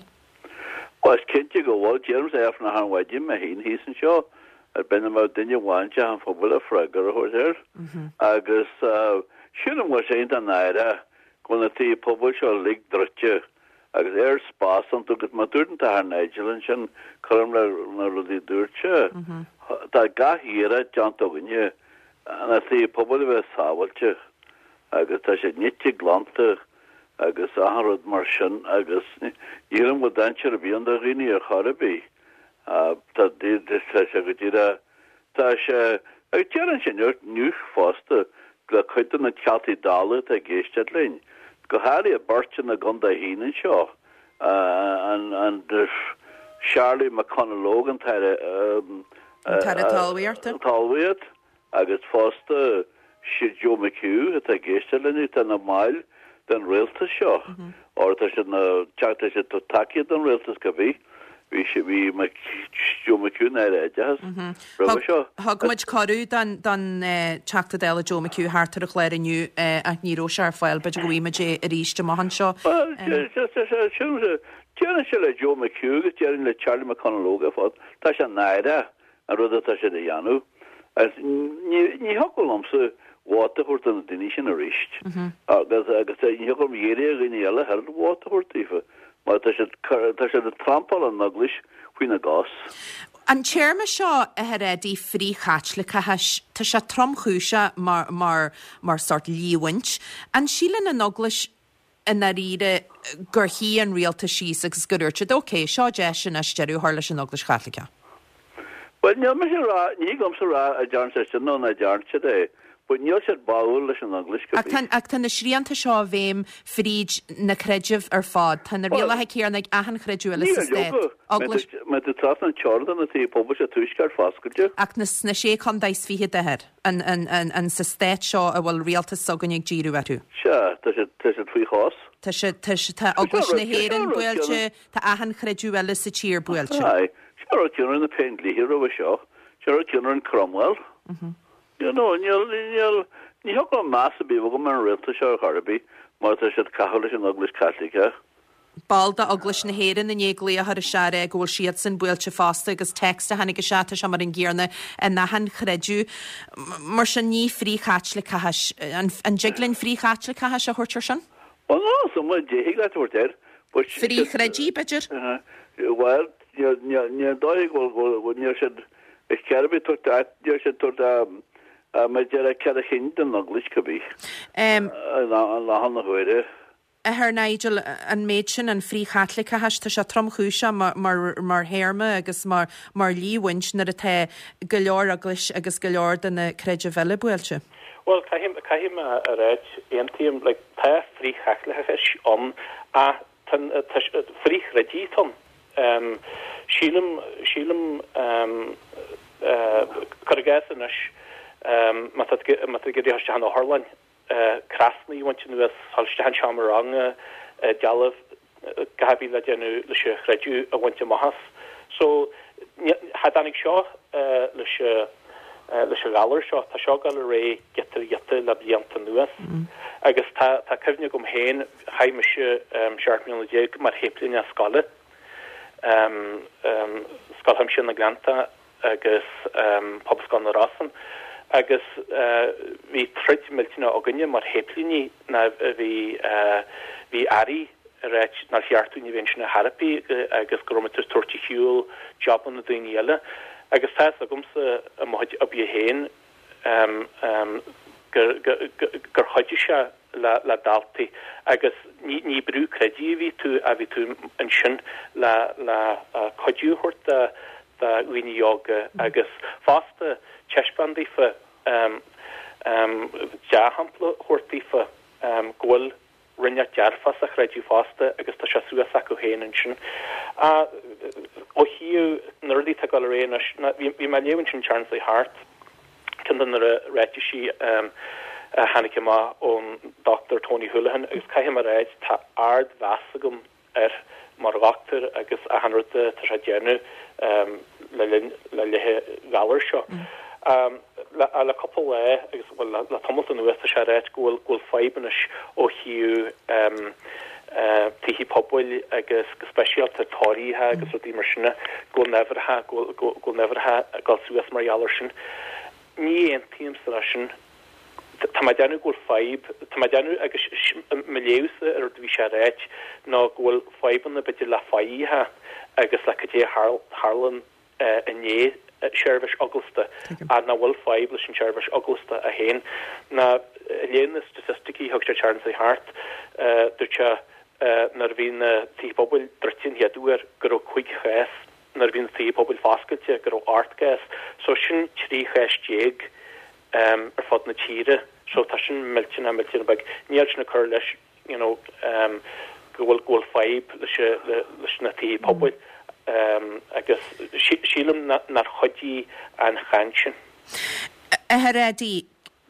Bhuel, is cinnte go bhfuil. Deirimse Aifreann achan mhaidin mé féin thíos anseo. Ar bith nach mbeadh duine amháin i dteach an phobail le freagra a thabhairt air. Agus sílim go bhfuil sé iontach náireach go bhfuil na tithe pobail seo uilig druidte agus oiread spás iontu agus mar a dúirt an tAthair Nigel ansin, cuirim le na rudaí a dúirt sé, tá gach iarracht déanta againne na tithe pobail a bheith sábháilte agus tá siad nite glanta agus achan rud mar sin agus ní shílim go bhfuil dainséar ar bith ann do dhaoine ar chor ar bith. Tá tá sé go díreach tá sé agus déarfainn sin inniu fosta le cuid de na Teachtaí Dála atá ag éisteacht linn, go háirithe beirt ina gcontae féin anseo, an an Charlie McConalogue an tAire An tAire Talmhaíochta. Talmhaíocht. Agus fosta, siad Joe McHugh atá ag éisteacht linn, atá ina mbaill den rialtas seo, or tá siad ina, tá siad ag tacaíocht don rialtas cibé, bhí sé, bhí Joe McHugh ina Aire Oideachais roimhe seo. Thug muid cuireadh don, don Teachta Dála Joe McHugh theacht ar an chlár inniu ach ní raibh sé ar fáil, b'fhéidir go bhfaighidh muid é arís amach anseo. Bhuel, déarfainnse le Joe McHugh agus déarfainn le Charlie McConalogue ar fad, tá sé náireach an rud atá siad a dhéanamh. Agus ní thiocfadh liomsa vóta a thabhairt do na daoine sin arís. Agus agus ní thiocfadh liom iarraidh ar dhaoine eile oiread vóta a thabhairt daofa mar tá siad tá siad ag trampáil an Eaglais faoina gcos. An téarma seo, a Athair Eddie, frith-Chaitliceachas, tá sé tromchúiseach mar mar mar sórt líomhaint. An síleann an Eaglais i ndáiríre gur shuigh an rialtas síos agus gur dúirt siad, ok, seo deis anois deireadh a chur leis an Eaglais Chaitliceach. Bhuel, níl mise a rá, ní thig liomsa a rá an dtearn siad sin nó nach dtearn siad é, but níl siad báúil leis an Eaglais go bith. Ach tá na srianta seo i bhfeidhm fríd na creidimh ar fad. Tá na rialacha céanna ag achan chreideamh eile sa stát. Eaglais. Má tá trasna an teorann tá na tithe pobail sa tuaisceart foscailte. Ach sna sé chontae is fichead, a Athair. An sa stát seo a bhfuil rialtas s'againne ag díriú orthu? Sea, tá siad, tá siad faoi chos. Tá siad, tá, tá Eaglais na hÉireann buailte, tá achan chreideamh eile sa tír buailte. Aye, sin an rud céanna a rinne na Péindlíthe roimhe seo, sin an rud céanna a rinne Cromwell. You know, níl, níl, ní thiocfadh liom meas ar bith a bheith agam ar an rialtas seo ar chor ar bith mar tá siad ag caitheamh leis an Eaglais Chaitliceach. Ball d'Eaglais na hÉireann i ndiaidh glaoch a chur isteach a rá go bhfuil siadsan buailte fosta agus text a tháinig isteach, tá sé mar an gcéanna in achan chreideamh. Mar sin ní frith-Chaitliceachas, an dtig linn frith-Chaitliceachas a thabhairt ar sin? Bhuel, níl 'fhios a'm cad é thig leat a thabhairt air, but. Frith-chreidí, b'fhéidir? Bhuel, níl dóigh go bhfuil, níl siad, is ceart a bheith tabhairt, níl siad tabhairt, mar a déarfá, cead a chinn don Eaglais, cibé, i láthair na huaire. Athair Nigel, an méid sin, an frith-Chaitliceachas, tá sé tromchúiseach mar théarma agus mar líomhaint nuair atá go leor eaglais agus go leor de na creidimh eile buailte. Bhuel, caithfidh, caithfidh mé a ráit, aontaím, like, tá frith-Chaitliceachas ann ach tá, tá, frith-chreidí atá ann. Sílim, sílim, cuir i gcás anois, má tá tú, má tá tú ag iarraidh a dhul isteach in otharlann, crosanna a bhaint anuas, dhul isteach in seomra ranga, dealbh, gach ar bith le déanamh leis an chreideamh a bhaint amach as. So, cha dtáinig seo leis leis an ghalar seo, tá seo ag dul ar aghaidh giota ar ghiota le blianta anuas. Agus tá tá cuimhne agam féin, chaith mise 17 mbliana mar shéiplíneach scoile, Scoil Chuimsitheach na nGleannta, agus Pobalscoil na Rosann agus bhí troid millteanach againne mar shéiplíní ná bhí bhí airí ag ráit nár cheart dúinn a bheith ansin ar chor ar bith agus go raibh muid ag tabhairt ar shiúl jabanna daoine eile agus tá fhios agamsa i mo chuid oibre féin gur chuidigh sé le daltaí agus ní brú creidimh a bhí tú ach bhí tú ansin le cuidiú a thabhairt do dhaoine óga agus fosta taispeáint daofa, dea-shampla a thabhairt daofa go bhfuil rud inteacht dearfach sa chreideamh fosta agus tá sé suas acu féin ansin. Ó thaobh na rudaí atá ag dul ar aghaidh anois, bhí mé ag léamh ansin an tseachtain seo thart, ceann de na ráitisí a tháinig amach ón Dr Tony Holohan agus caithfidh mé a ráit, tá ardmheas agam air mar dhochtúir agus achan rud atá sé ag déanamh le linn le linn an ghalair seo. Le cúpla lá agus bhuel le tamalt anuas tá sé ag ráit go bhfuil go bhfuil fadhb anois ó thaobh tithe pobail agus go speisialta tórraimh agus rudaí mar sin go bhfuil an-uimhreacha go bhfuil an uimhreacha ag dul suas mar gheall air sin. Ní aontaímse leis sin. Tá mé ag déanamh go bhfuil fadhb, tá mé ag déanamh agus mo léamhsa ar an rud a bhí sé a ráit ná go bhfuil fadhbanna b'fhéidir le faichithe agus le cad é a tharlaíonn i ndiaidh seirbhís eaglasta ach nach bhfuil fadhb leis an tseirbhís eaglasta é féin. Ná ag léamh na staitisticí a thug sé an tseachtain seo thart, dúirt sé nuair a bhí na tithe pobail druidte an chéad uair go raibh 5 chás nuair a bhí na tithe pobail foscailte go raibh 8 gcás. So sin 13 chás ar fud na tíre. So tá sin millteanach, millteanach beag. Níl sin ag cur leis you know go bhfuil, go bhfuil fadhb leis, leis na tithe pobail agus sílim nár chuidigh an chaint sin. Athair Eddie,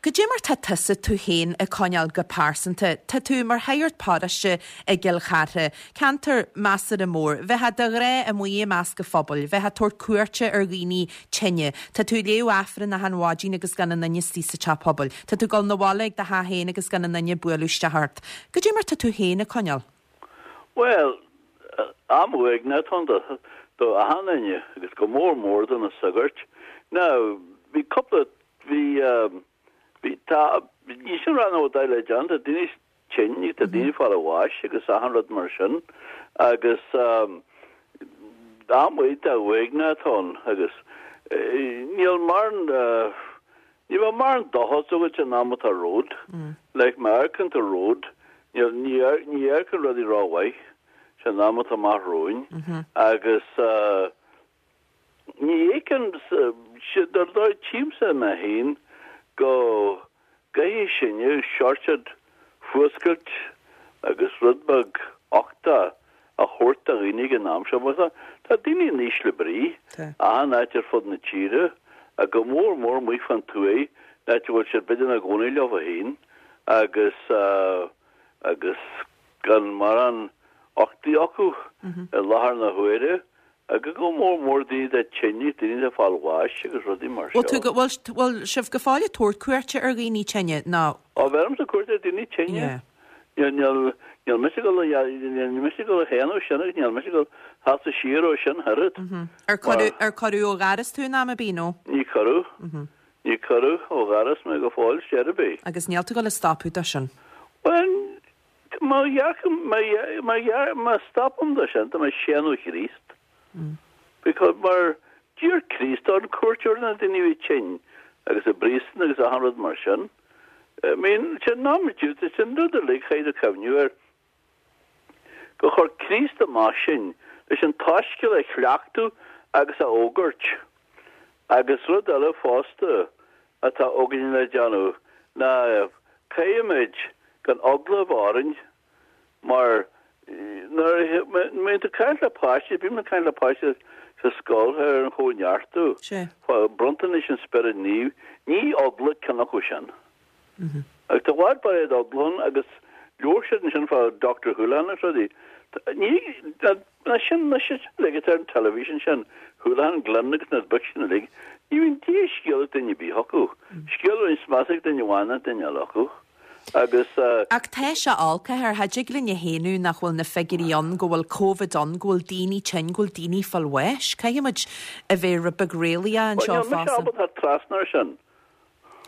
Cad é mar tá tusa tú féin ag coinneáil go pearsanta? Tá tú mar shagart paróiste i gCill Chartha, ceantar measartha mór. Bheifeá de ghnáth amuigh i measc an phobail, bheifeá ag tabhairt cuairte ar dhaoine tinne. Tá tú ag léamh Aifreann achan mhaidin agus gan aon duine istigh sa teach pobail. Tá tú ag dul 'na bhaile ag do theach féin agus gan aon duine ag bualadh isteach ort. Cad é mar tá tú féin ag coinneáil? Bhuel, am uaigneach atá ann do achan duine agus go mór mór do na sagairt. Now, bhí cúpla Bhí, bhí, tá, ní sin rá nó dá le déanamh, tá daoine tinn, tá daoine ag fáil bháis agus achan rud mar sin agus am iontach uaigneach atá ann agus níl mórán, ní bheadh mórán dóchas agat an am atá romhat, like má amharcann tú romhat, níl, ní, ní amharcann rudaí rómhaith san am atá amach romhainn agus Ní fheicim, dar ndóigh, tchímse mé féin go gcaithfidh sinne seort fuascailt agus rud beag uchtach a thabhairt do dhaoine ag an am seo mar tá daoine in ísle brí achan áit ar fud na tíre ach go mór mór amuigh fán tuaith, an áit a bhfuil siad b'fhéidir ina gcónaí leo féin agus agus gan mórán uchtaigh acu i láthair na huaire. Agus go mór mór daoine atá tinn, daoine atá ag fáil bháis agus rudaí mar seo. Bhfuil tú, bhfuil, bhfuil sibh go fóill ag tabhairt cuairte ar dhaoine tinne nó? Ó, bheirimse cuairt ar daoine tinne. Yeah. Níl, níl, níl mise ag dul a, níl mise ag dul a shéanadh sin agus níl mise ag dul sheasamh siar ó sin oiread. Ar cuireadh, ar cuireadh ó dhoras tú in am ar bith nó? Ní cuireadh. Ní cuireadh ó dhoras mé go fóill ar chor ar bith. Agus níl tú ag dul a stopadh de sin? Bhuel, Má dhearcaim, má, má, má stopaim de sin, tá mé ag séanadh Chríost. Because mar d'iarr Críost orainn cuairt ar na daoine a bhí tinn agus i bpríosún agus achan rud mar sin. I mean, sin am sin rud uilig chaithfidh tú cuimhniú air. Gur chuir Críost amach sinn leis an tSoiscéal a chleachtadh agus a fhógairt. Agus rud eile fosta atá againn le déanamh ná caithfimid gan eagla a bheith orainn mar nuair a bhíonn tú ag caint le páistí, bím ag caint le páistí sa scoil ar an chóineartú, fá bronntanais an Spioraid Naoimh, ní eagla ceann acu sin. Agus tá i bhfad barréad eagla ann agus labhair siad ansin fá Doctor Houlihan agus rudaí. Ní, na sin, na sin uilig atá ar an teilifís ansin, Houlihan, Glynn agus na boic sin uilig, ní bhíonn dia scéal ag duine ar bith acu. Scéal a bhíonn measa ag duine amháin ná duine eile acu. Agus. Ach tá sé olc, a Athair, cha dtig linn a shéanadh nach bhfuil na figiúirí ann, go bhfuil Covid ann, go bhfuil daoine tinn, go bhfuil daoine ag fáil bháis. Caithfidh muid a bheith rud beag réalaíoch anseo fosta. Bhuel, níl mise ábalta teacht trasna ar sin.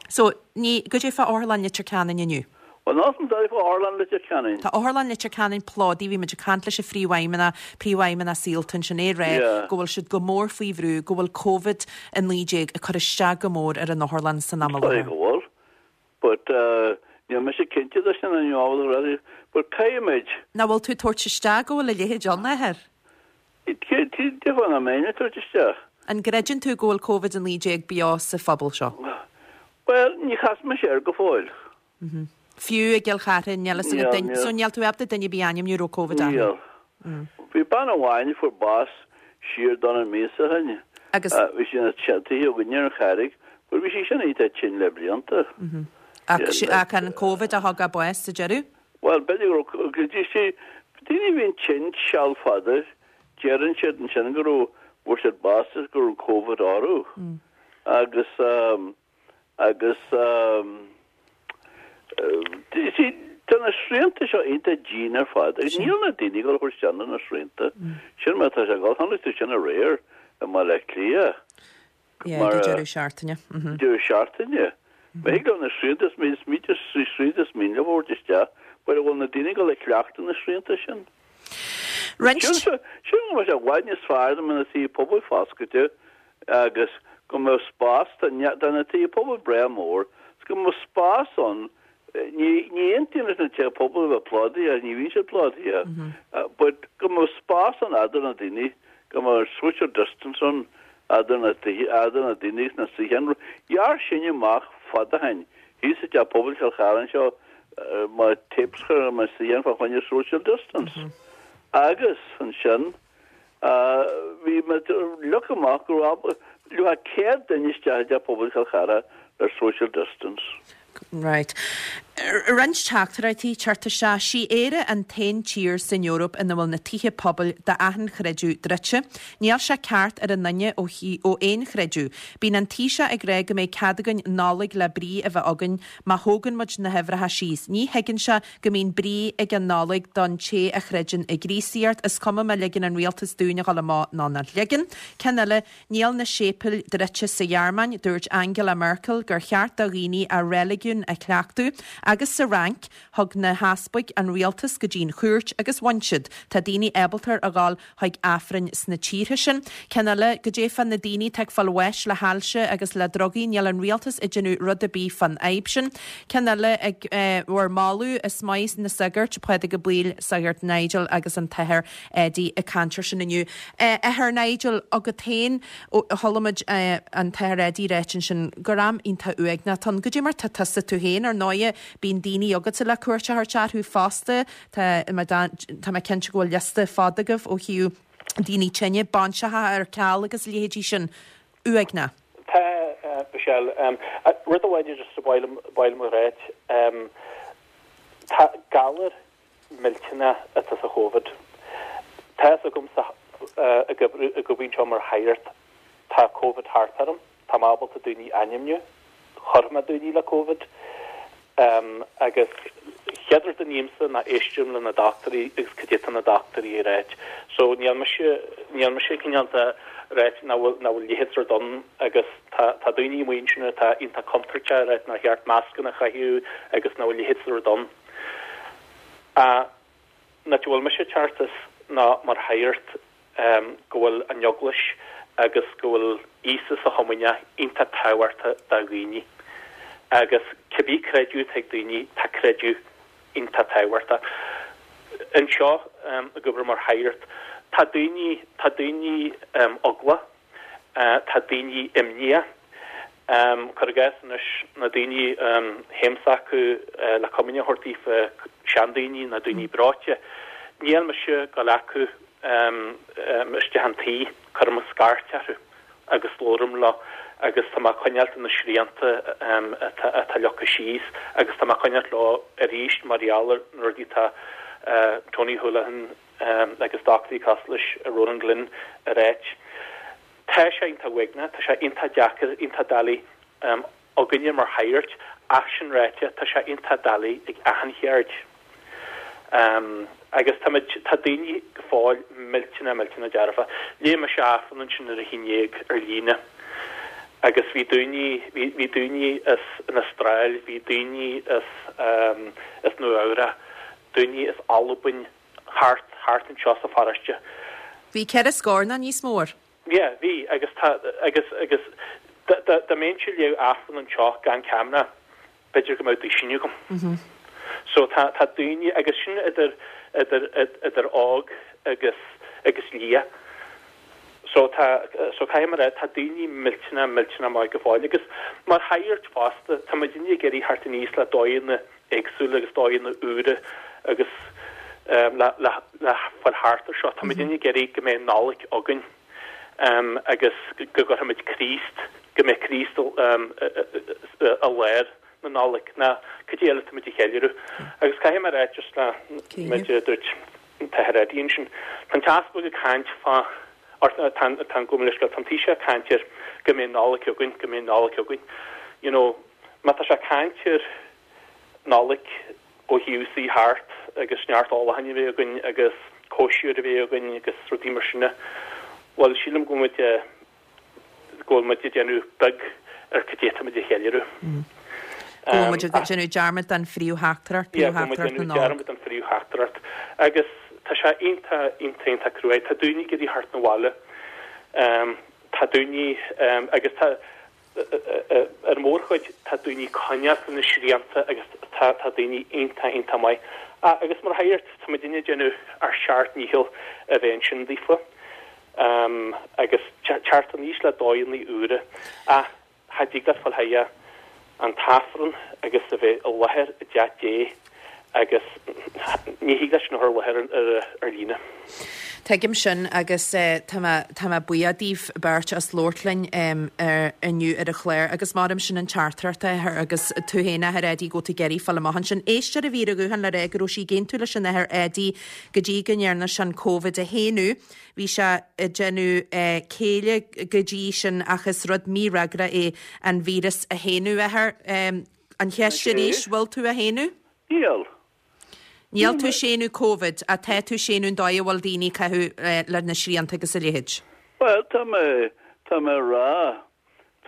So, ní, goidé fá Otharlann Leitir Ceanainn inniu? Bhuel, níl a fhios a'm goidé fá Otharlann Leitir Ceanainn. Tá Otharlann Leitir Ceanainn plódaithe, bhí muid ag caint leis an phríomhfheidhmeannach, príomhfheidhmeannach Saolta ansin, é ag rá Yeah. go bhfuil siad go mór faoi bhrú, go bhfuil Covid-19 ag cur isteach go mór ar an otharlann san am i Sorry láthair. go bhfuil, but níl mise cinnte de sin an ábhar a but caithfimid. Nach bhfuil tú ag tabhairt isteach go bhfuil a leithéid ann, a Athair? Cén fáth nach mbeinn ag tabhairt isteach? An gcreideann tú go bhfuil Covid-19 beo sa phobal seo? Bhuel, ní chas mise air go fóill. Fiú i gCill Chartha, níl fhios agat duine, so níl tú ábalta duine ar bith a ainmniú a raibh Covid orthu? Níl. Bhí bean amháin a fuair bás siar dornán míosa ó shin. Agus? Bhí sí ina tithe againne ar an Charraig, but bhí sí sin iontach tinn le blianta. Ach an Covid a thug a bás sa deireadh? Bhuel, b'fhéidir go raibh, go dtí sí, daoine a bhíonn tinn seal fada, deireann siad ansin go raibh, bhfuair siad bás is go raibh Covid orthu. Agus, agus, you see, tá na srianta seo iontach dian ar fad agus níl na daoine ag dul a thabhairt isteach na srianta. Sin mar atá sé ag dul, chonaic tú sin aréir i mBaile Átha Cliath. Yeah, ag an deireadh seachtaine. Deireadh seachtaine. Má thig leo na srianta is míte srianta is mian leo a thabhairt isteach, but an bhfuil na daoine ag dul a chleachtadh na srianta sin? Roinnt. Sin go mbeadh sé i bhfad níos fearr dá mbeadh na tithe pobail foscailte agus go mbeadh spás, tá na tithe pobail breá mór, is go mbeadh spás ann Ní aontaím leis na tithe pobail a bheith plódaithe, ní bhíonn siad plódaithe, but go mbeadh spás ann eadar na daoine, go mbeadh social distance ann eadar na tithe, eadar na daoine agus na suíocháin. Ghearr sin amach fada ó shin, thíos i dteach pobail Chill Chartha anseo, má tapes chur ar na suíocháin fá choinne social distance. Agus ansin, Bhí mé ag look amach go raibh 100 duine isteach i dteach pobail Chill Chartha le social distance. Right. Roinnt teachtaireachtaí ag teacht isteach. Sí Éire an t-aon tír san Eoraip ina bhfuil na tithe pobail d'achan chreideamh druidte. Níl sé ceart ar aon duine ó ó aon chreideamh. Bíonn an Taoiseach ag rá go mbeidh cead againn Nollaig le brí a bheith againn má thógann muid na huimhreacha síos. Ní thuigeann sé go mbíonn brí ag an Nollaig don té a chreideann i gCríostaíocht, is cuma má ligeann an rialtas dúinn a dhul amach nó nach ligeann. Ceann eile, níl na séipéil druidte sa Ghearmáin, dúirt Angela Merkel gur cheart do dhaoine a reiligiún a chleachtadh, agus sa Fhrainc, thug na heaspaig an rialtas go dtí an chúirt agus bhain siad. Tá daoine ábalta a dhul chuig Aifrinn sna tíortha sin. Ceann eile, goidé fá na daoine atá ag fáil bháis le hailse agus le drugaí, níl an rialtas ag déanamh rud ar bith fán fhadhb sin. Ceann eile, ag bhur moladh, is maith na sagairt, Pádraig Ó Baoill, Sagart Nigel agus an tAthair Eddie ag caint ar sin inniu. Athair Nigel, agat féin, chuala muid an tAthair Eddie ráit ansin gur am iontach uaigneach atá ann. Goidé mar tá tusa tú féin, ar ndóighe, bíonn daoine agatsa le cuairt a thabhairt orthu fosta, Tá tá mé cinnte go bhfuil liosta fada agaibh ó thaobh daoine tinne, bainseacha ar ceal agus a leithéidí sin. Uaigneach. Tá, Michelle. Rud amháin just ba mhaith liom a ráit, tá galar millteanach atá sa Chóvid. Tá fhios agamsa ag obair anseo mar shagart, tá Covid thart orm. Tá mé ábalta daoine a ainmniú. Chuir mé daoine le Covid. Agus chéad rud a nímse ná éistim le na dochtúirí agus cad é tá na dochtúirí ag ráit. So níl mise, níl mise cineál de ráit nach bhfuil, nach bhfuil leithéid sort ann agus tá, tá daoine amuigh ansin atá iontach contúirteach ag ráit nár cheart mascanna a chaitheamh agus nach bhfuil leithéid sort ann. An áit a bhfuil mise ag teacht as ná mar shagart go bhfuil an Eaglais agus go bhfuil Íosa sa Chomaoineach iontach tábhachtach do dhaoine. Agus cibé creideamh atá ag daoine, tá creideamh iontach tábhachtach. Anseo ag obair mar shagart, tá daoine, tá daoine eaglach, tá daoine imníoch. Cuir i gcás anois, na daoine théimse chucu le comaoine a thabhairt daofa, seandaoine nó daoine breoite, níl mise ag gabháil chucu isteach an tí, cuirim scairt orthu agus labhraím leo agus tá mé ag coinneáilt na srianta atá leagtha síos agus tá mé ag coinneáilt leo arís mar gheall ar na rudaí atá Tony Holohan agus dochtúirí cosúil leis Ronan Glynn a ráit. Tá sé iontach uaigneach, tá sé iontach deacair, iontach doiligh againne mar shagairt, ach sin ráite, tá sé iontach doiligh ag achan cheird. Agus táimid, tá daoine go fóill millteanach, millteanach dearfach. Léigh mise Aifreann ansin ar a haon dhéag ar líne agus bhí daoine, bhí, bhí daoine as an Astráil, bhí daoine as, as Nua Eabhrac, daoine as Albain, thart, thart anseo sa pharóiste. Bhí ceithre scór nó níos mó air. Yeah, bhí, agus tá, agus, agus dá, dá, dá mbeinnse ag léamh Aifreann anseo gan ceamara, b'fhéidir go mbeadh duisín agam. So tá, tá daoine, agus sin idir, idir, idir óg agus, agus liath. So tá, so caithfidh mé a rá, tá daoine millteanach, millteanach maith go fóill. Agus mar shagairt fosta, tá muidinne ag iarraidh theacht aníos le dóigheanna éagsúla agus dóigheanna úra agus le le le fáil thart ar seo. Tá muidinne ag iarraidh go mbeidh Nollaig againn agus go gcuirfimid Críost, go mbeidh Críost i lár na Nollag ná cad é eile tá muid a cheiliúradh. Agus caithfidh mé a rá just le méid a dúirt an tAthair Eddie ansin, tá an tEaspag ag caint fá or tá an tá an gabh mo leithscéal, tá an Taoiseach ag caint ar go mbeidh Nollaig againn, go mbeidh Nollaig againn. You know, má tá sé ag caint ar Nollaig ó thaobh suí thart agus neart ólacháin a bheith againn agus cóisir a bheith againn agus rudaí mar sin. Bhuel, sílim go bhfuil muid go bhfuil muid ag déanamh beag ar cad é atá muid a cheiliúradh. Go bhfuil muid ag déanamh dearmad den phríomhtheachtaireacht, Yeah, go bhfuil muid ag príomhtheachtaireacht na déanamh Nollag. dearmad den phríomhtheachtaireacht. Agus tá sé iontach, iontach, iontach cruaidh. Tá daoine ag iarraidh theacht 'na bhaile. Tá daoine, agus tá, Ar an mhórchuid, tá daoine ag coinneáilt na srianta agus tá daoine iontach, iontach maith. Agus mar shagart, tá muidinne ag déanamh ár seacht ndícheall a bheith ansin daofa agus teacht aníos le dóigheanna úra. Ach cha dtig leat fáil chuige an tAifreann agus a bheith i láthair i dteach Dé agus ní thig leat sin a chur i láthair ar líne. Tuigim sin agus tá mé, tá mé buíoch daoibh beirt as labhairt linn inniu ar an chlár agus maram sin an teachtaireacht a Athair agus tú féin a Athair Eddie go bhfuil tú ag iarraidh fáil amach ansin. Éisteoir a bhí ar an ghuthán le rá go raibh sí ag aontú leis an Athair Eddie go dtí go ndearna sé an Covid a shéanadh. Bhí sé ag déanamh céille go dtí sin ach is rud mífhreagrach é an víreas a shéanadh, a Athair. An cheist arís, bhfuil tú á shéanadh? Níl. Níl tú ag séanadh Covid, ach tá tú ag séanadh an dóigh a bhfuil daoine ag caitheamh le na srianta agus a leithéid. Bhuel, tá mé, tá mé ag rá,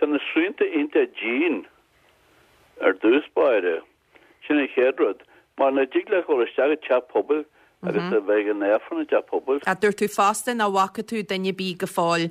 tá na srianta iontach dian ar dtús báire. Sin an chéad rud. Mar nach dtig leat dhul isteach i dteach pobail agus a bheith ag an Aifreann i dteach pobail. Ach dúirt tú fosta nach bhfaca tú duine ar bith go fóill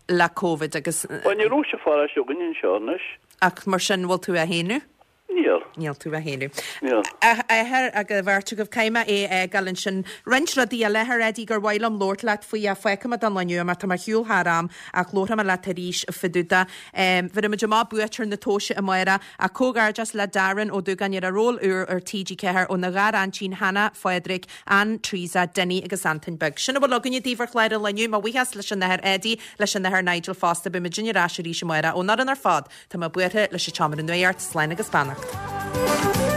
le Covid agus. Bhuel, ní raibh sa pharóiste againn anseo anois. Ach mar sin, bhfuil tú á shéanadh? Níl. Níl tú á shéanadh. Níl. A Athair, agus a bheirt agaibh, caithfidh mé é a fhágáil ansin. Roinnt rudaí eile, a Athair Eddie, gur mhaith liom labhairt leat faoi ach fágfaidh mé don lá inniu mar tá mé ar shiúl thar am ach labharfaidh mé leat arís fá dtaobh de. Bhéarfaidh muid amach buaiteoir na tomhaise amárach ach comhghairdeas le Darren Ó Dúgáin ar a ról úr ar TG4 óna ghar-aintín Hannah, Phádraig, Ann, Teresa, Dinny agus Antain Beag. Sin a bhfuil againne daoibh ar chlár an lae inniu. Mo bhuíochas leis an Athair Eddie, leis an Athair Nigel fosta. Beidh muidinne ar ais arís amárach. Ón fhoireann ar fad, tá mé buartha leis an tseomra nuachta. Slán agus beannacht.